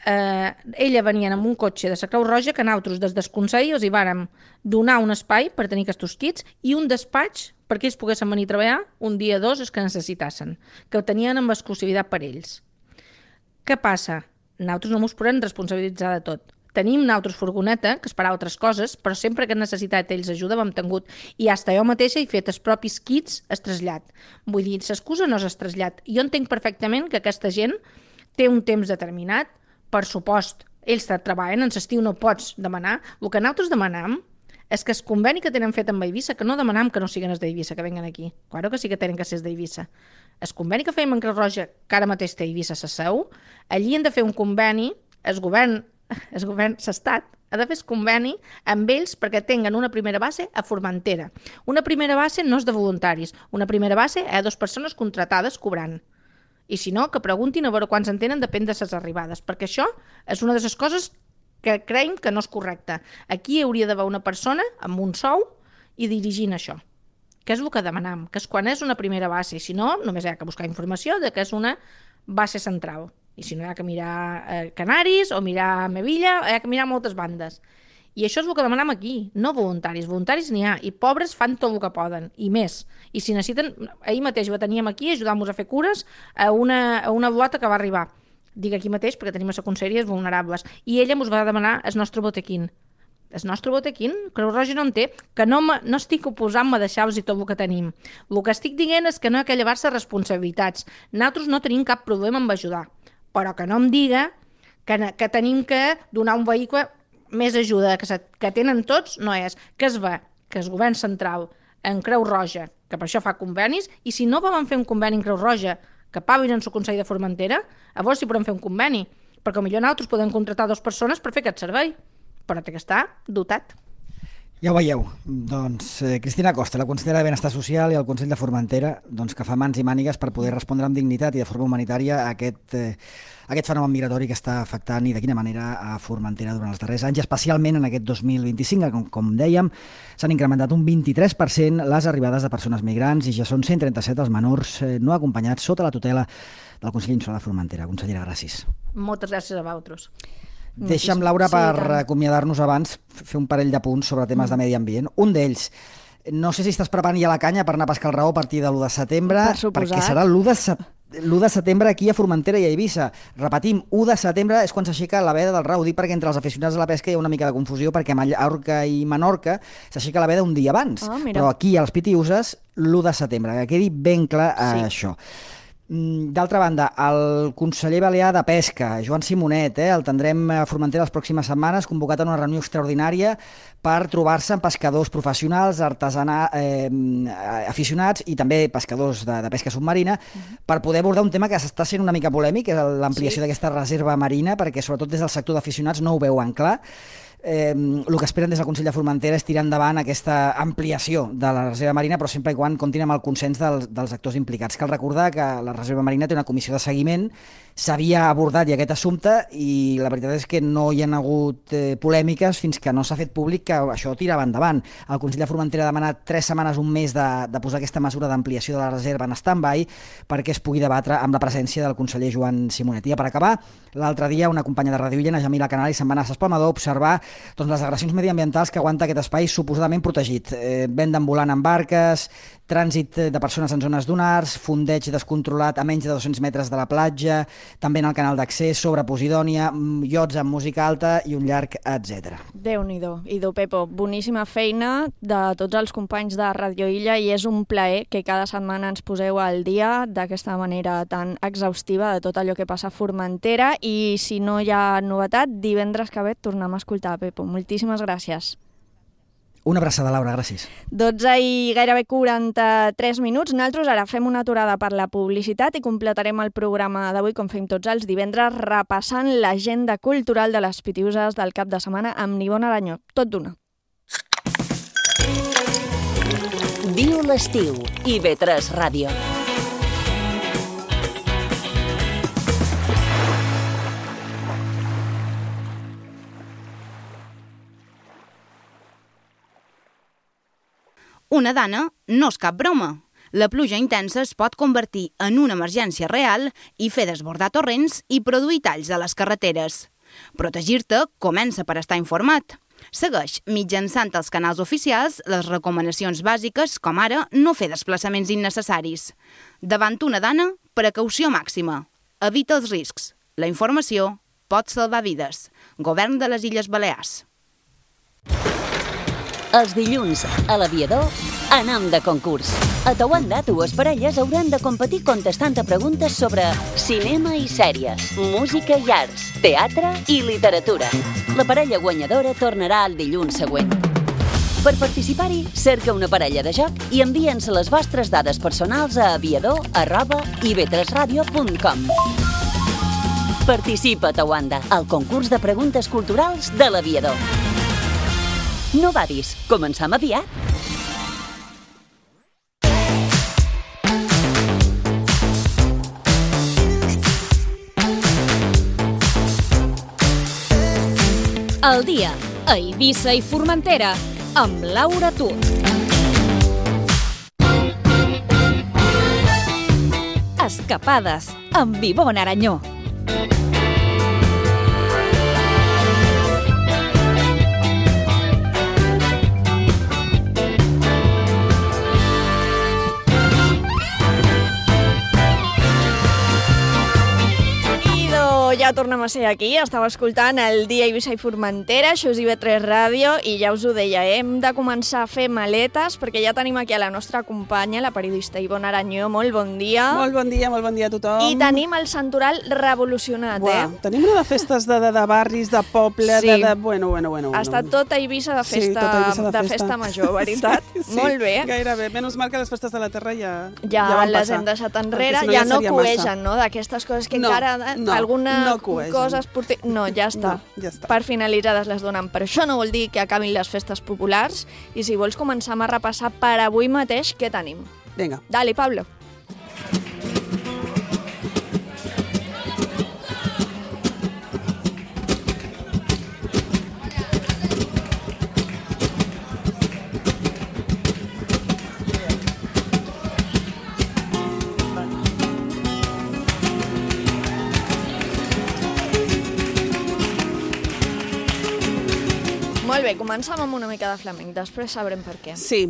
ella venien amb un cotxe de la Creu Roja que nosaltres des del Consell els hi vàrem donar un espai per tenir aquests kits i un despatx perquè ells poguessin venir a treballar un dia o dos els que necessitassin, que ho tenien amb exclusivitat per ells. Què passa? Nosaltres no ens podem responsabilitzar de tot. Tenim nosaltres furgoneta, que és per altres coses, però sempre que han necessitat ells ajuda hem tingut. I fins jo mateixa he fet els propis kits el trasllat. Vull dir, l'excusa no és el trasllat. Jo entenc perfectament que aquesta gent té un temps determinat, per supost, ells treballen, en l'estiu no pots demanar. El que nosaltres demanam és que el conveni que tenen fet amb Eivissa, que no demanam que no siguin els d'Eivissa, que venguen aquí. Claro que sí que tenen que ser els d'Eivissa. El conveni que fèiem amb Creu Roja, que ara mateix té Eivissa sa seu, allí han de fer un conveni, el govern, l'estat, ha de fer el conveni amb ells perquè tinguen una primera base a Formentera. Una primera base no és de voluntaris, una primera base a 2 persones contratades cobrant. I si no, que preguntin a veure quants en tenen, depèn de les arribades, perquè això és una de les coses que creiem que no és correcta. Aquí hauria d'haver una persona amb un sou i dirigint això, que és el que demanam, que és quan és una primera base, i si no, només hi ha que buscar informació de que és una base central. I si no, hi ha que mirar Canaris o mirar Mevilla, hi ha que mirar moltes bandes. I això és el que demanem aquí, no voluntaris. Voluntaris n'hi ha, i pobres fan tot el que poden, i més. I si necessiten, ahir mateix ho teníem aquí, ajudant-nos a fer cures a una blota que va arribar. Dic aquí mateix perquè tenim a la conselleria vulnerables. I ella ens va demanar el nostre botequín. El nostre botequín, Creu Roja no en té, que no estic oposant-me a deixar-los i tot el que tenim. El que estic dient és que no hi ha que llevar-se responsabilitats. Nosaltres no tenim cap problema en ajudar, però que no em diga que tenim que donar un vehicle més ajuda, que tenen tots, no és que es va, que el govern central en Creu Roja, que per això fa convenis, i si no volen fer un conveni en Creu Roja, que paguen en el Consell de Formentera, llavors sí podem fer un conveni, perquè potser nosaltres podem contratar 2 persones per fer aquest servei, però té que estar dotat. Ja ho veieu, doncs Cristina Costa, la consellera de Benestar Social i el Consell de Formentera, doncs, que fa mans i mànigues per poder respondre amb dignitat i de forma humanitària a aquest fenomen migratori que està afectant i de quina manera a Formentera durant els darrers anys, especialment en aquest 2025, que com dèiem s'han incrementat un 23% les arribades de persones migrants i ja són 137 els menors no acompanyats sota la tutela del Consell Insular de Formentera. Consellera, gràcies. Moltes gràcies a vosaltres. Deixa'm, Laura, per acomiadar-nos abans, fer un parell de punts sobre temes de medi ambient. Un d'ells, no sé si estàs preparant ja la canya per anar a pescar el raó a partir de l'1 de setembre, perquè serà l'1 de setembre aquí a Formentera i a Eivissa. Repetim, 1 de setembre és quan s'aixeca la veda del raó. Dic perquè entre els aficionats de la pesca hi ha una mica de confusió, perquè a Mallorca i Menorca s'aixeca la veda un dia abans. Però aquí, als Pitiüses, l'1 de setembre. Que quedi ben clar això. D'altra banda, el conseller balear de Pesca, Joan Simonet, el tindrem a Formentera les pròximes setmanes, convocat a una reunió extraordinària per trobar-se amb pescadors professionals, aficionats i també pescadors de pesca submarina, per poder abordar un tema que està sent una mica polèmic, que és l'ampliació d'aquesta reserva marina, perquè sobretot des del sector d'aficionats no ho veuen clar. El que esperen des del Consell de Formentera és tirar endavant aquesta ampliació de la reserva marina, però sempre i quan comptin amb el consens dels actors implicats. Cal recordar que la reserva marina té una comissió de seguiment, s'havia abordat ja aquest assumpte i la veritat és que no hi ha hagut polèmiques fins que no s'ha fet públic que això tirava endavant. El Consell de Formentera ha demanat 3 setmanes, un mes de posar aquesta mesura d'ampliació de la reserva en stand-by perquè es pugui debatre amb la presència del conseller Joan Simonet. I per acabar, l'altre dia una companya de Ràdio Illa, Jamila Canali, se'n va anar a S'Espalmador a observar les agressions mediambientals que aguanta aquest espai suposadament protegit. Vent volant en barques, trànsit de persones en zones dunars, fondeig descontrolat a menys de 200 metres de la platja, també en el canal d'accés, sobre Posidònia, iots amb música alta i un llarg, etc. Déu-n'hi-do. Idò, Pepo, boníssima feina de tots els companys de Ràdio Illa i és un plaer que cada setmana ens poseu al dia d'aquesta manera tan exhaustiva de tot allò que passa a Formentera i si no hi ha novetat, divendres que ve tornem a escoltar, Pepo. Moltíssimes gràcies. Una abraçada, Laura, gràcies. 12 i gairebé 43 minuts. Nosaltres ara fem una aturada per la publicitat i completarem el programa d'avui, com fem tots els divendres, repassant l'agenda cultural de les Pitiüses del cap de setmana amb Ivonne Aranyó. Tot d'una. Diu l'estiu, IB3 Ràdio. Una dana no és cap broma. La pluja intensa es pot convertir en una emergència real i fer desbordar torrents i produir talls a les carreteres. Protegir-te comença per estar informat. Segueix mitjançant els canals oficials les recomanacions bàsiques, com ara no fer desplaçaments innecessaris. Davant una dana, precaució màxima. Evita els riscs. La informació pot salvar vides. Govern de les Illes Balears. Els dilluns, a l'Aviador, anem de concurs. A Tawanda, dues parelles hauran de competir contestant a preguntes sobre cinema i sèries, música i arts, teatre i literatura. La parella guanyadora tornarà el dilluns següent. Per participar-hi, cerca una parella de joc i envia'ns les vostres dades personals a aviador@ib3radio.com. Participa a Tawanda, al concurs de preguntes culturals de l'Aviador. No badis, començam aviat. El dia a Eivissa i Formentera amb Laura Tur. Escapades amb Ivonne Aranyó. Ja tornem a ser aquí, estava escoltant el dia Eivissa i Formentera, això és IB3 Ràdio, i ja us ho deia, hem de començar a fer maletes, perquè ja tenim aquí a la nostra companya, la periodista Ivonne Aranyó. Molt bon dia. Molt bon dia a tothom. I tenim el santoral revolucionat, Tenim una de festes de barris, de poble, sí. Bueno. Ha estat tota Eivissa de festa, sí, tota Eivissa de festa major, veritat? Sí, molt bé. Gairebé. Menys mal que les festes de la terra ja van les passar. Hem deixat enrere, no ja no coegen, no? D'aquestes coses que encara alguna cosa esportiva... No, ja està. Per finalitzades les donen. Però això no vol dir que acabin les festes populars. I si vols començar a repassar per avui mateix, què tenim? Vinga. Dale, Pablo. Molt bé, començam amb una mica de flamenc, després sabrem per què. Sí,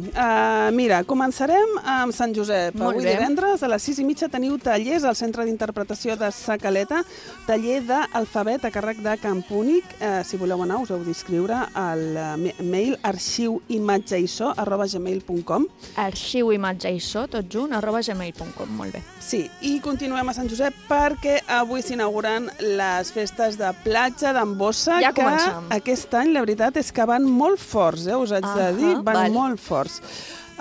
mira, començarem amb Sant Josep. Avui divendres a les 6:30 teniu tallers al Centre d'Interpretació de Sa Caleta, taller d'alfabet a càrrec de Campúnic. Si voleu anar, us heu d'inscriure al mail arxiuimatgeissó@gmail.com. Arxiuimatgeissó, tot junt, @gmail.com, molt bé. Sí, i continuem a Sant Josep perquè avui s'inauguren les festes de platja d'Ambossa, ja que començam. Aquest any la veritat és que van molt forts, us haig de dir, van molt forts.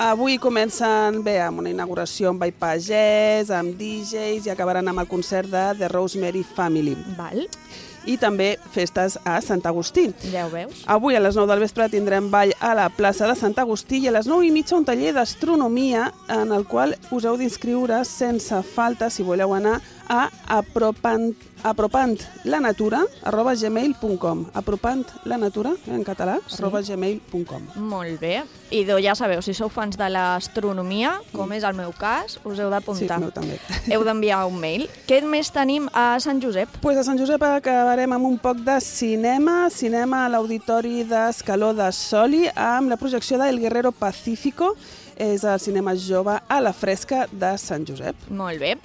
Avui comencen bé amb una inauguració amb ball pagès, amb DJs, i acabaran amb el concert de The Rosemary Family. Val. I també festes a Sant Agustí. Ja ho veus. Avui a les 9 del vespre tindrem ball a la plaça de Sant Agustí i a les 9:30 un taller d'astronomia en el qual us heu d'inscriure sense falta si voleu anar a apropantLanatura@gmail.com. ApropantLanatura, en català, @gmail.com. Molt bé. I ja sabeu, si sou fans de l'astronomia, com és el meu cas, us heu d'apuntar. Sí, el meu també. Heu d'enviar un mail. Què més tenim a Sant Josep? Pues a Sant Josep acabarem amb un poc de cinema a l'Auditori d'Escaló de Soli, amb la projecció de El Guerrero Pacífico. És el cinema jove a la fresca de Sant Josep. Molt bé.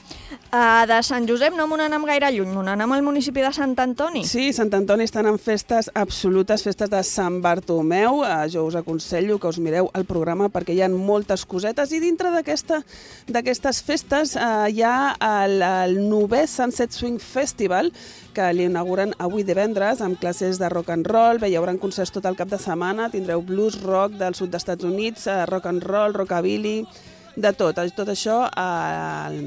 Sant Josep no m'ho n'anem gaire lluny, m'ho n'anem al municipi de Sant Antoni. Sí, Sant Antoni estan en festes absolutes, festes de Sant Bartomeu. Jo us aconsello que us mireu el programa perquè hi ha moltes cosetes i dintre d'aquestes festes hi ha el 9è Sunset Swing Festival que l'inauguren avui divendres amb classes de rock and roll. Bé, hi haurà concerts tot el cap de setmana, tindreu blues, rock del sud dels Estats Units, rock and roll, rockabilly, de tot això al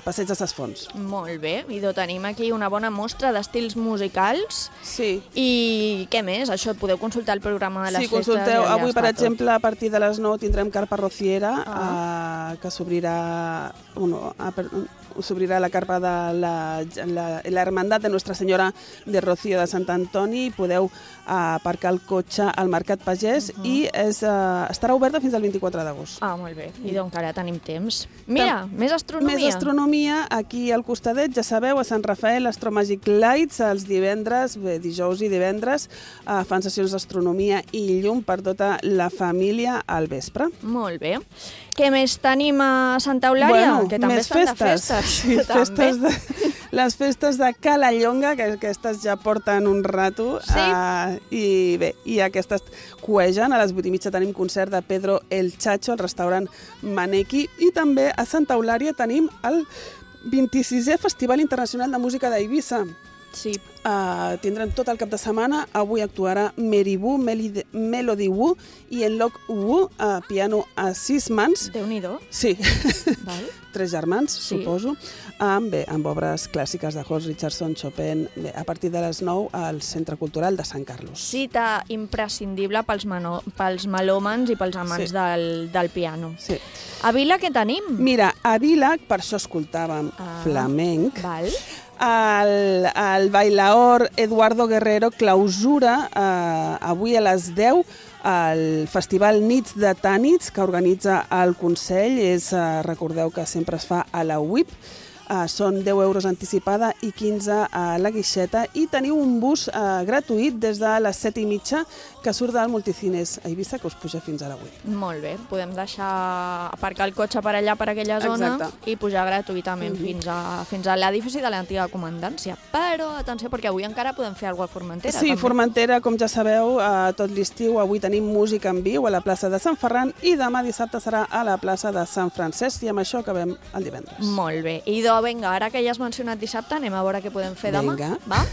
Passeig de Ses Fonts. Molt bé, i tenim aquí una bona mostra d'estils musicals. Sí. I què més? Això podeu consultar el programa de les festes. Sí, consulteu. Avui, per exemple, a partir de les 9 tindrem Carpa Rociera, que s'obrirà la carpa de la Hermandad de Nuestra Senyora de Rocío de Sant Antoni. Podeu aparcar el cotxe al Mercat Pagès i estarà oberta fins al 24 d'agost. Molt bé, i doncs encara tenim temps. Mira, més astronomia. Més astronomia, aquí al costadet, ja sabeu, a Sant Rafael, Astro Magic Lights, els divendres, dijous i divendres, fan sessions d'astronomia i llum per tota la família al vespre. Molt bé. Què més tenim a Santa Eulària? Que també estan de festes. Sí, les festes de Calallonga, que aquestes ja porten un rato. Sí. I bé, i aquestes cuegen. A les 8:30 tenim concert de Pedro el Chacho al restaurant Maneki. I també a Santa Eulària tenim el 26è Festival Internacional de Música d'Eivissa. Sí. Tindrem tot el cap de setmana. Avui actuarà Meribú, Melody Wu i Enloc Wu, piano a 6 mans. Déu-n'hi-do. Sí. Val. 3 germans, Sí. suposo, amb obres clàssiques de Horst Richardson, Chopin, a partir de les 9 al Centre Cultural de Sant Carlos. Cita imprescindible pels melòmans i pels amants del piano. Sí. A Vila què tenim? Mira, a Vila, per això escoltàvem flamenc, Val. el bailaor Eduardo Guerrero clausura avui a les 10 el Festival Nits de Tànits que organitza el Consell. Recordeu que sempre es fa a la UIP. Són 10 euros anticipada i 15 a la guixeta i teniu un bus gratuït des de les 7:30 que surt del Multicines a Eivissa que us puja fins a la UIP. Molt bé, podem deixar aparcar el cotxe per allà, per aquella zona. Exacte. I pujar gratuïtament fins a l'edifici de l'antiga comandància. Però, atenció, perquè avui encara podem fer alguna cosa a Formentera. Sí, també. Formentera, com ja sabeu, tot l'estiu avui tenim música en viu a la plaça de Sant Ferran i demà dissabte serà a la plaça de Sant Francesc i amb això acabem el divendres. Molt bé. I vinga, ara que ja has mencionat dissabte, anem a veure què podem fer demà. Vinga. Va?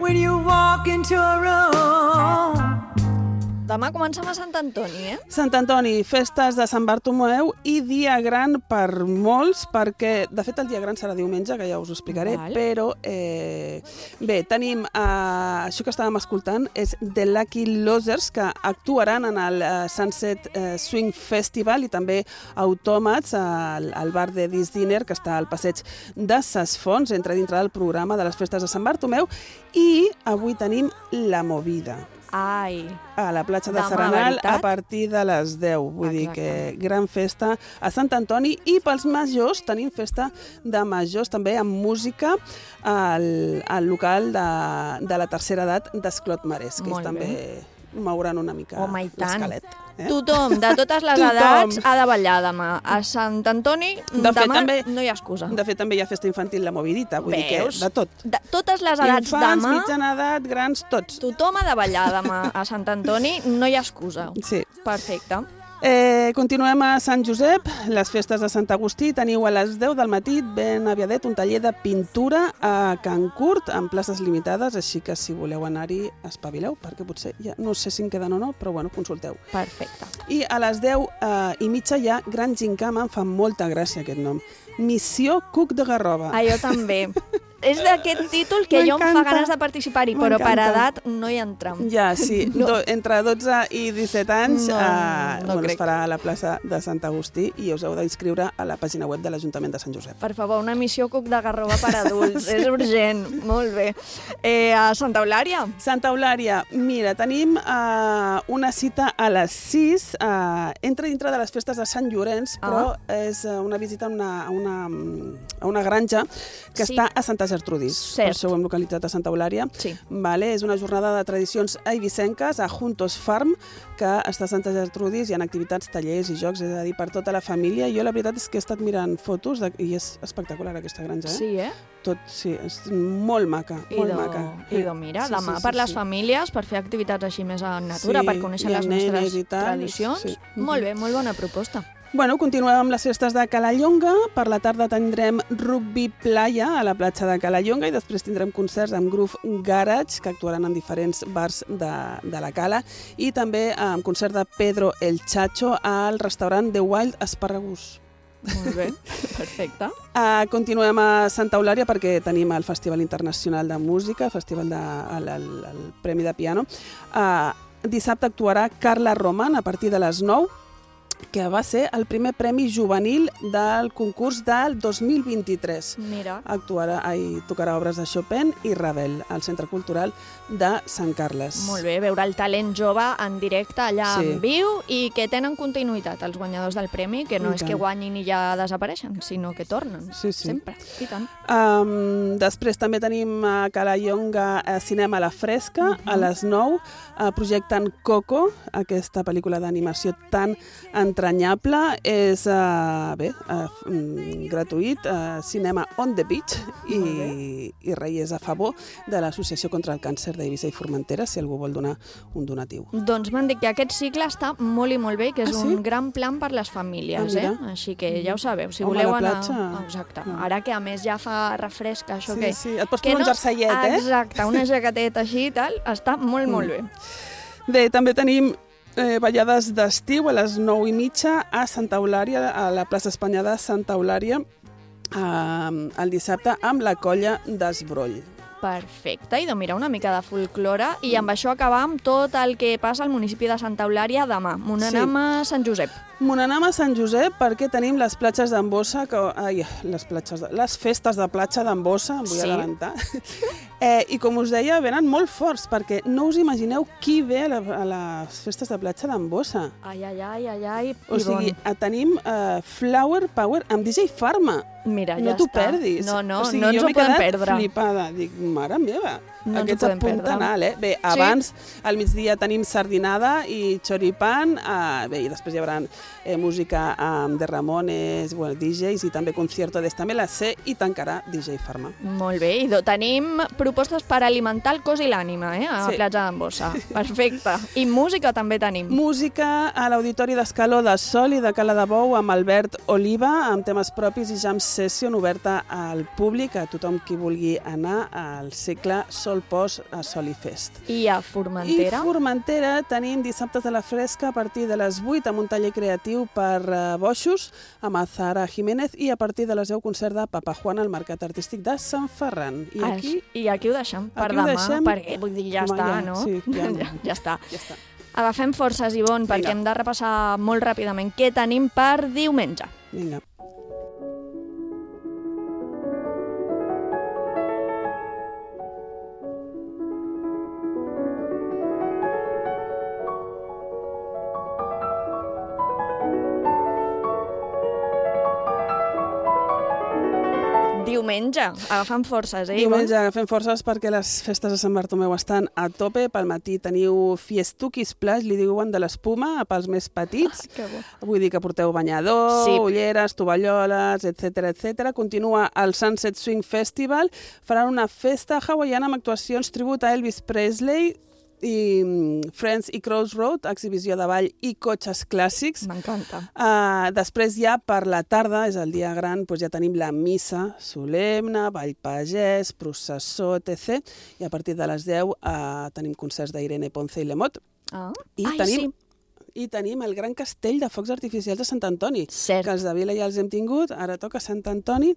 When you walk into a room. Demà comencem a Sant Antoni, Sant Antoni, festes de Sant Bartomeu i dia gran per molts, perquè, de fet, el dia gran serà diumenge, que ja us ho explicaré, però, bé, tenim, això que estàvem escoltant, és The Lucky Losers, que actuaran en el Sunset Swing Festival i també Autòmats, al bar de This Dinner, que està al passeig de Ses Fonts, entra dintre del programa de les festes de Sant Bartomeu, i avui tenim La Movida. Ai. A la platja de Demà, Serenal veritat? a partir de les 10. Vull dir que gran festa a Sant Antoni i pels majors tenim festa de majors també amb música al local de la tercera edat d'Esclot Marès, que ells també mouran una mica l'esquelet. Tothom, de totes les edats, ha de ballar demà. A Sant Antoni, demà no hi ha excusa. De fet, també hi ha festa infantil, la Movidita, vull dir que de tot. De totes les edats Infants, demà... mitjana edat, grans, tots. Tothom ha de ballar demà a Sant Antoni, no hi ha excusa. Sí. Perfecte. Continuem a Sant Josep, les festes de Sant Agustí. Teniu a les 10 del matí, ben aviadet, un taller de pintura a Can Curt, amb places limitades, així que si voleu anar-hi, espavileu, perquè potser, ja no sé si en queden o no, però bueno, consulteu. Perfecte. I a les 10:30 hi ha Gran Gincama, em fa molta gràcia aquest nom, Missió Cuc de Garrova. Jo també. És d'aquest títol que jo em fa ganes de participar-hi, però per edat no hi entrem. Ja, sí. Entre 12 i 17 anys es farà a la plaça de Sant Agustí i us heu d'inscriure a la pàgina web de l'Ajuntament de Sant Josep. Per favor, una missió Cuc de Garrova per adults. És urgent. Molt bé. A Santa Eulària? Santa Eulària, mira, tenim una cita a les 6. Entra dintre de les festes de Sant Llorenç, però és una visita a una granja que està a Santa Gertrudis. Cert. Per això ho hem localitzat a Santa Eulària. Sí. Vale, és una jornada de tradicions eivissenques a Juntos Farm, que està a Santa Gertrudis, hi ha activitats, tallers i jocs, és a dir, per tota la família. Jo la veritat és que he estat mirant fotos i és espectacular aquesta granja, Sí, Tot, sí, és molt maca, molt maca. Mira, demà per les famílies, per fer activitats així més en natura, per conèixer les nostres tradicions. Molt bé, molt bona proposta. Bueno, continuem amb les festes de Calallonga. Per la tarda tindrem rugby playa a la platja de Calallonga i després tindrem concerts amb Groove Garage, que actuaran en diferents bars de la Cala, i també amb concert de Pedro el Chacho al restaurant The Wild Asparagus. Molt bé, perfecte. Continuem a Santa Eulària perquè tenim el Festival Internacional de Música, el Premi de Piano. Dissabte actuarà Carla Roman a partir de les 9, que va ser el primer premi juvenil del concurs del 2023. Mira. Tocarà obres de Chopin i Ravel al Centre Cultural de Sant Carles. Molt bé, veure el talent jove en directe allà en viu i que tenen continuïtat els guanyadors del premi, que no és que guanyin i ja desapareixen, sinó que tornen. Sempre. I tant. Després també tenim a Calallonga Cinema a la Fresca, a les 9, projecten Coco, aquesta pel·lícula d'animació tan entranyable. És gratuït, cinema on the beach, i res, és a favor de l'Associació contra el Càncer d'Eivissa i Formentera, si algú vol donar un donatiu. Doncs m'han dit que aquest cicle està molt i molt bé, que és un gran plan per les famílies, Així que ja ho sabeu, si voleu anar... Exacte. Ara que a més ja fa refresca, això que... Sí, et pots posar un jerseillet, Exacte, una jaqueteta així i tal, està molt, molt bé. Bé, també tenim ballades d'estiu a les 9:30 a Santa Eulària, a la plaça Espanya de Santa Eulària, el dissabte amb la colla d'Esbroll. Perfecte, i mira, una mica de folklore, i amb això acabam tot el que passa al municipi de Santa Eulària demà. Monanam a Sant Josep. Monanam a Sant Josep perquè tenim les platges d'Embossa, les festes de platja d'Embossa, em vull adelantar. I com us deia, venen molt forts, perquè no us imagineu qui ve a les festes de platja d'Embossa. Ai. O sigui, tenim Flower Power amb DJ Pharma. Mira, ja no t'ho està. perdis. No ens ho podem perdre. Jo m'he quedat flipada. Dic, mare meva, no aquests a puntanal, Bé, abans, al migdia tenim sardinada i choripán, bé, i després hi haurà música de Ramones, DJs, i també concierto d'esta me la sé, i tancarà DJ Pharma. Molt bé, i tenim propostes per alimentar el cos i l'ànima, a la platja d'Embossa. Perfecte. I música també tenim. Música a l'Auditori d'Escaló de Sol i de Cala de Bou amb Albert Oliva, amb temes propis i jam session oberta al públic, a tothom qui vulgui anar al cicle Sol Post a Soli Fest. I a Formentera? I a Formentera tenim dissabtes a la fresca a partir de les 8 amb un taller creatiu per boixos amb Zahara Jiménez i a partir de les 10 concert de Papa Juan al Mercat Artístic de Sant Ferran. I aquí ho deixem per demà, perquè vull dir, ja està, no? Sí, ja està. Agafem forces, Ivonne, perquè hem de repassar molt ràpidament què tenim per diumenge. Vinga. Diumenge, agafant forces, Diumenge agafem forces perquè les festes de Sant Bartomeu estan a tope. Pel matí teniu Fiestuki Splash, li diuen de l'espuma, pels més petits. Vull dir que porteu banyador, ulleres, tovalloles, etc. Continua el Sunset Swing Festival. Faran una festa hawaiana amb actuacions tribut a Elvis Presley, i Friends i Crossroad, exhibició de ball i cotxes clàssics. M'encanta. Després ja per la tarda, és el dia gran, doncs ja tenim la missa solemne, ball pagès, processó, etc. I a partir de les 10 tenim concerts d'Irene Ponce i Lemot. I tenim el gran castell de focs artificials de Sant Antoni, que els de Vila ja els hem tingut, ara toca Sant Antoni,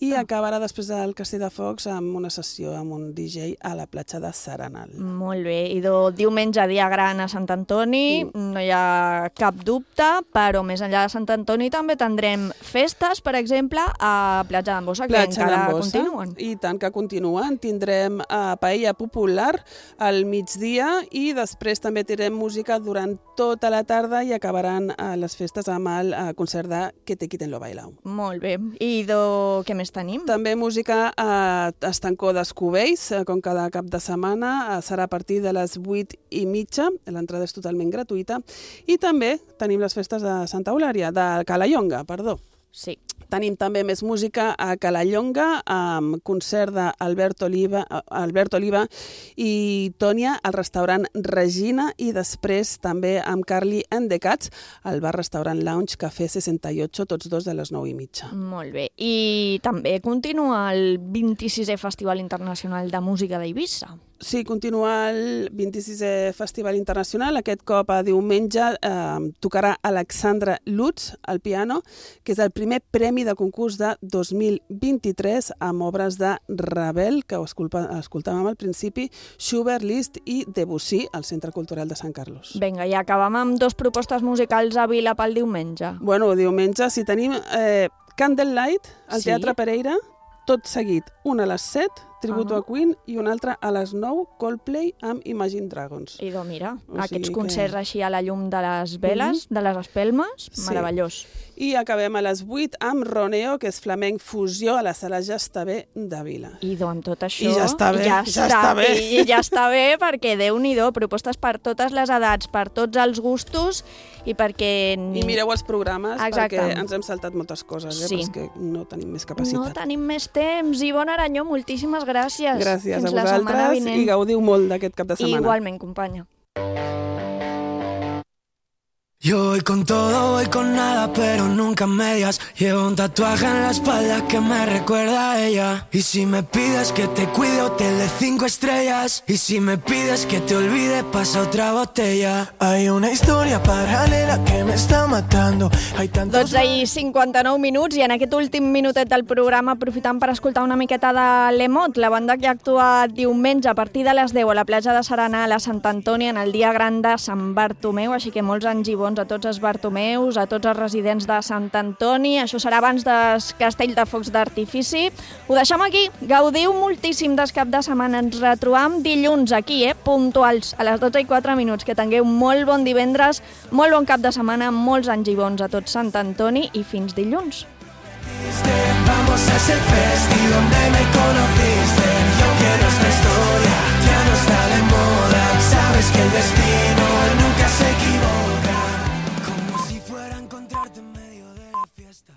i acabarà després del castell de focs amb una sessió amb un DJ a la platja de Serenal. Molt bé, i diumenge dia gran a Sant Antoni, no hi ha cap dubte, però més enllà de Sant Antoni també tindrem festes, per exemple, a Platja d'Embossa, que encara continuen. I tant que continuen, tindrem paella popular al migdia i després també tindrem música durant tota la la tarda i acabaran les festes amb el concert de Que te quiten lo bailao. Molt bé. I què més tenim? També música a Estancó d'Escubells, com cada cap de setmana. Serà a partir de les 8:30. L'entrada és totalment gratuïta. I també tenim les festes de Santa Eulària, de Calallonga, perdó. Sí. Tenim també més música a Calallonga, amb concert d'Albert Oliva i Tònia al restaurant Regina, i després també amb Carly and the Cats al bar-restaurant Lounge Café 68, tots dos de les 9:30. Molt bé. I també continua el 26è Festival Internacional de Música d'Eivissa. Sí, continua el 26è Festival Internacional. Aquest cop a diumenge tocarà Alexandra Lutz al piano, que és el primer premi de concurs de 2023 amb obres de Ravel, que ho escoltàvem al principi, Schubert, Liszt i Debussy al Centre Cultural de Sant Carlos. Vinga, i acabem amb 2 propostes musicals a Vila pel diumenge. Bueno, diumenge, si tenim Candlelight al Teatre Pereira, tot seguit, una a les 7, Tributo a Queen, i una altra a les 9, Coldplay amb Imagine Dragons. Idò, mira, aquests concerts així a la llum de les veles, de les espelmes, meravellós. I acabem a les 8 amb Roneo, que és flamenc fusió a la sala Ja està bé de Vila. Idò, amb tot això... I ja està bé, ja està bé. I ja està bé, perquè Déu-n'hi-do, propostes per totes les edats, per tots els gustos, i perquè... I mireu els programes, perquè ens hem saltat moltes coses, però és que no tenim més capacitat. No tenim més temps. Ivonne Aranyó, moltíssimes gràcies. Gràcies a vosaltres i gaudiu molt d'aquest cap de setmana. Igualment, companya. Yo voy con todo, voy con nada, pero nunca medias. Llevo un tatuaje en la espalda que me recuerda a ella. Y si me pides que te cuide, hotel de 5 estrellas. Y si me pides que te olvide, pasa otra botella. Hay una historia paralela que me está matando. Hay tantos... 12:59 i en aquest últim minutet del programa aprofitant per escoltar una miqueta de l'Emot, la banda que actua diumenge a partir de les 10 a la platja de Serenal a Sant Antoni en el dia gran de Sant Bartomeu, així que molts anys i bons a tots els Bartomeus, a tots els residents de Sant Antoni. Això serà abans del castell de focs d'artifici. Ho deixem aquí. Gaudiu moltíssim del cap de setmana. Ens retrobam dilluns aquí, puntuals, a les 12:04. Que tingueu molt bon divendres, molt bon cap de setmana, molts anys i bons a tots Sant Antoni i fins dilluns. Vamos a ese festi donde me conociste. Yo quiero esta historia, ya no está de moda. Sabes que el destino nunca se equivoca. Como si fuera a encontrarte en medio de la fiesta.